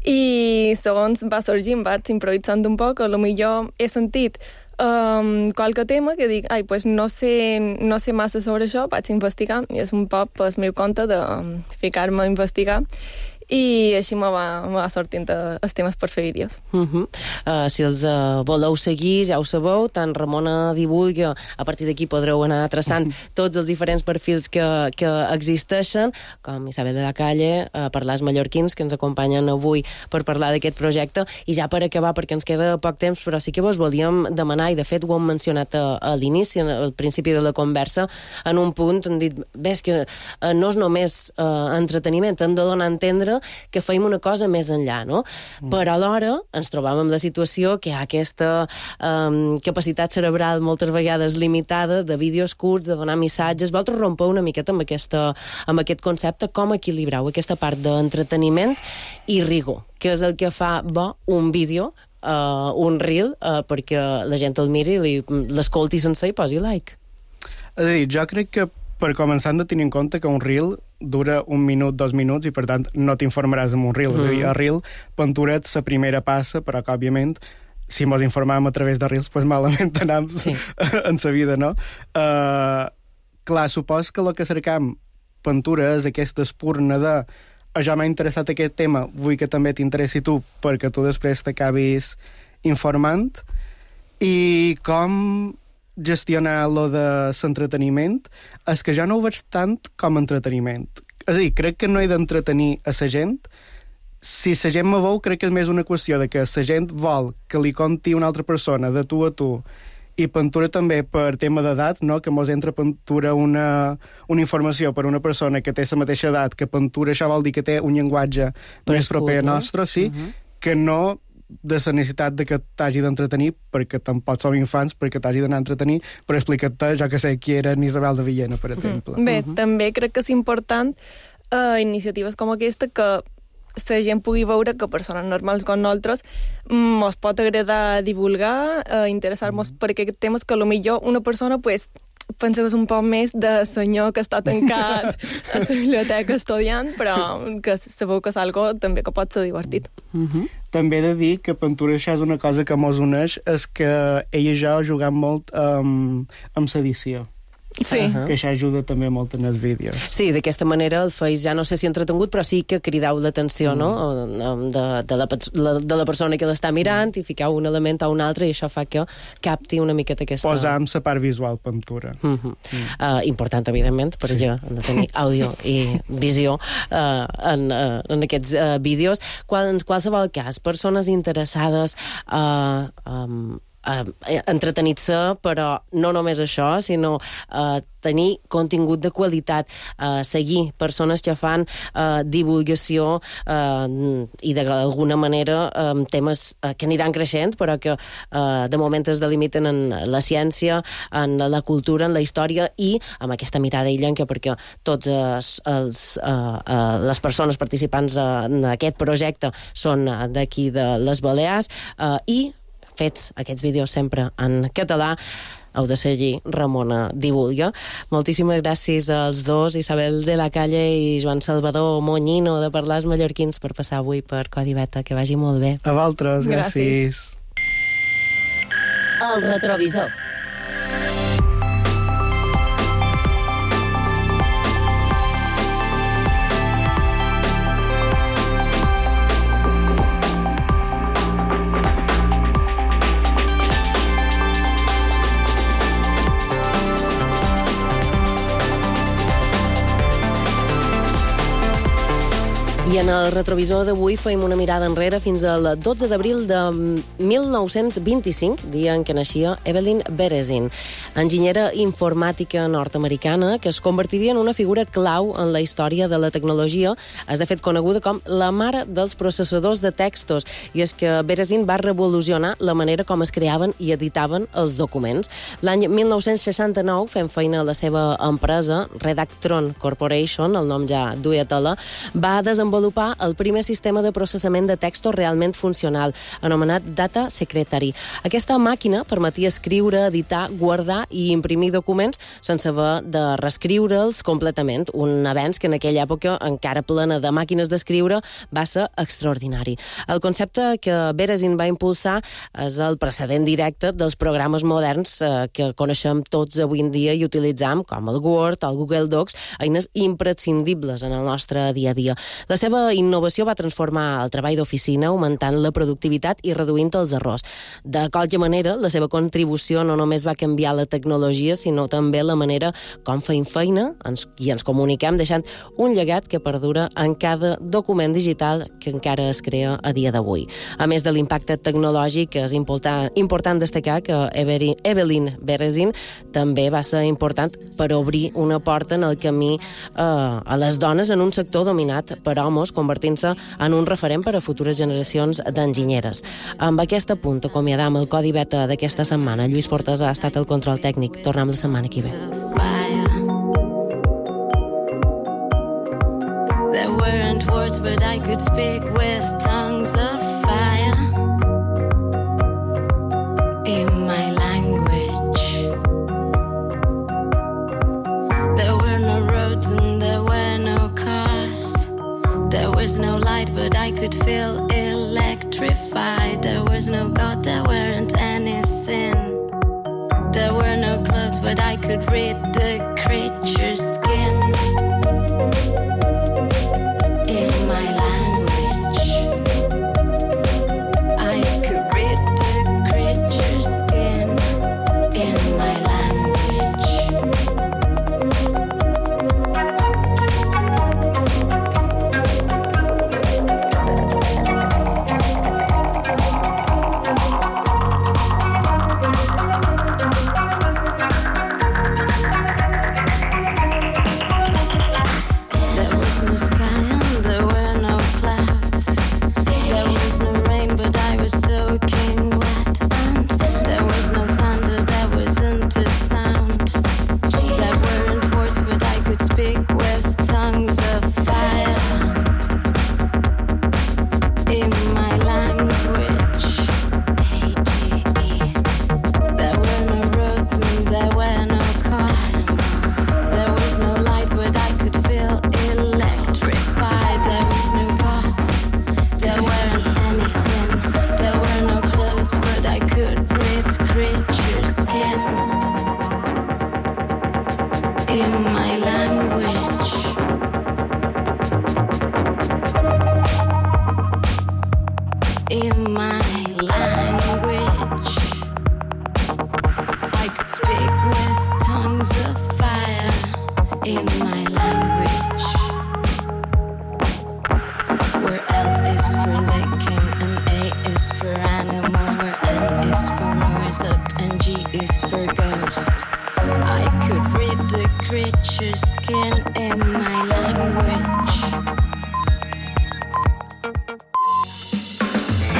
I segons va sorgint, vaig improvisant un poc, a lo millor he sentit um, qualque tema que dic, ai, pues no sé, no sé massa sobre això, vaig investigar, i és un poc el meu compte de um, ficar-me a investigar. I així me va, me va sortint els temes per fer vídeos. Uh-huh. Uh, si els uh, voleu seguir, ja ho sabeu, tant Ramona divulga, a partir d'aquí podreu anar traçant tots els diferents perfils que, que existeixen, com Isabel de la Calle, uh, Parlars Mallorquins, que ens acompanyen avui per parlar d'aquest projecte. I ja per acabar, perquè ens queda poc temps, però sí que vos volíem demanar, i de fet ho hem mencionat a, a l'inici, al principi de la conversa, en un punt hem dit, ves que uh, no és només uh, entreteniment, hem de donar a entendre que feim una cosa més enllà, no? Mm. Però alhora ens trobam amb la situació que hi ha aquesta um, capacitat cerebral moltes vegades limitada de vídeos curts, de donar missatges. Vosaltres rompeu una miqueta amb, aquesta, amb aquest concepte, com equilibreu aquesta part d'entreteniment i rigor, que és el que fa bo un vídeo, uh, un reel, uh, perquè la gent el miri, l'escolti sencer i posi like. És a dir, jo crec que per començar hem de tenir en compte que un reel dura un minut, dos minuts, i per tant no t'informaràs amb un reel. Mm. És a dir, el reel penturet la primera passa, però que òbviament si mos informàvem a través de reels, pues malament anam sí. en sa vida, no? Uh, clar, supos que el que cercam pintura és aquesta espurna de ja m'ha interessat aquest tema, vull que també t'interessi tu, perquè tu després t'acabis informant. I com gestionar lo de l'entreteniment és que jo no ho veig tant com entreteniment. És a dir, crec que no he d'entretenir a la gent. Si la gent me veu, crec que és més una qüestió de que la gent vol que li conti una altra persona de tu a tu, i pintura també per tema d'edat, no? Que mos entra pintura una, una informació per una persona que té la mateixa edat, que pintura això vol dir que té un llenguatge per més proper a nostre, sí, uh-huh. que no de la necessitat de que t'hagi d'entretenir, perquè tampoc som infants, perquè t'hagi d'anar a entretenir per explicar-te, jo que sé, qui era Isabel de Villena, per exemple. Bé, uh-huh. també crec que és important uh, iniciatives com aquesta que la gent pugui veure que persones normals com nosaltres ens pot agradar divulgar, uh, interessar-nos mm. per aquests temes que potser una persona pues, pensa que és un poc més de senyor que està tancat a la biblioteca estudiant, però que sabeu que és algo també que pot ser divertit. Mm-hmm. També he de dir que Pintura això és una cosa que mos uneix, és que ell i jo juguem molt um, amb l'edició. Sí. Uh-huh. Que això ajuda també molt en els vídeos. Sí, d'aquesta manera el feis ja no sé si entretengut, però sí que cridau l'atenció, mm. no? de, de, la, de la persona que l'està mirant mm. i ficau un element a un altre i això fa que capti una miqueta aquesta... Posam la part visual Pintura. Mm-hmm. Mm. Uh, important, evidentment, per sí. ja hem de tenir àudio i visió uh, en, uh, en aquests uh, vídeos. Qual, en qualsevol cas, persones interessades uh, um, Uh, entretenir-se, però no només això, sinó uh, tenir contingut de qualitat, uh, seguir persones que fan uh, divulgació uh, i d'alguna manera um, temes uh, que aniran creixent, però que uh, de moment es delimiten en la ciència, en la cultura, en la història i amb aquesta mirada illenca, perquè tots els, els, uh, uh, les persones participants uh, en aquest projecte són uh, d'aquí de les Balears uh, i fets aquests vídeos sempre en català. Heu de seguir Ramona Divulga. Moltíssimes gràcies als dos, Isabel de la Calle i Joan Salvador Moñino, de Parlar els Mallorquins, per passar avui per Codi Beta. Que vagi molt bé. A vosaltres, gràcies. El retrovisor. I en el retrovisor d'avui feim una mirada enrere fins al dotze d'abril de mil nou-cents vint-i-cinc, dia en què naixia Evelyn Berezin, enginyera informàtica nord-americana que es convertiria en una figura clau en la història de la tecnologia. És de fet coneguda com la mare dels processadors de textos, i és que Berezin va revolucionar la manera com es creaven i editaven els documents. L'any mil nou-cents seixanta-nou, fent feina a la seva empresa, Redactron Corporation, el nom ja duia tela, va desenvolupar el primer sistema de processament de textos realment funcional, anomenat Data Secretary. Aquesta màquina permetia escriure, editar, guardar i imprimir documents sense haver de reescriure'ls completament, un avenç que en aquella època, encara plena de màquines d'escriure, va ser extraordinari. El concepte que Berezin va impulsar és el precedent directe dels programes moderns eh, que coneixem tots avui en dia i utilitzam, com el Word, el Google Docs, eines imprescindibles en el nostre dia a dia. La seva innovació va transformar el treball d'oficina, augmentant la productivitat i reduint els errors. De qualque manera, la seva contribució no només va canviar la tecnologia, sinó també la manera com feim feina ens, i ens comuniquem, deixant un llegat que perdura en cada document digital que encara es crea a dia d'avui. A més de l'impacte tecnològic, és important, important destacar que Evelyn Berezin també va ser important per obrir una porta en el camí eh, a les dones en un sector dominat per homes, convertint-se en un referent per a futures generacions d'enginyeres. Amb aquest punt acomiadam el Codi Beta d'aquesta setmana. Lluís Fortes ha estat el control tècnic. Tornem la setmana que ve. There weren't words, but I could speak with tongues of fire in my language. There were no roads and there were no cars. There was no light, but I could feel electrified. There was no God, there weren't any sin. There were no clothes, but I could read the creature's skin.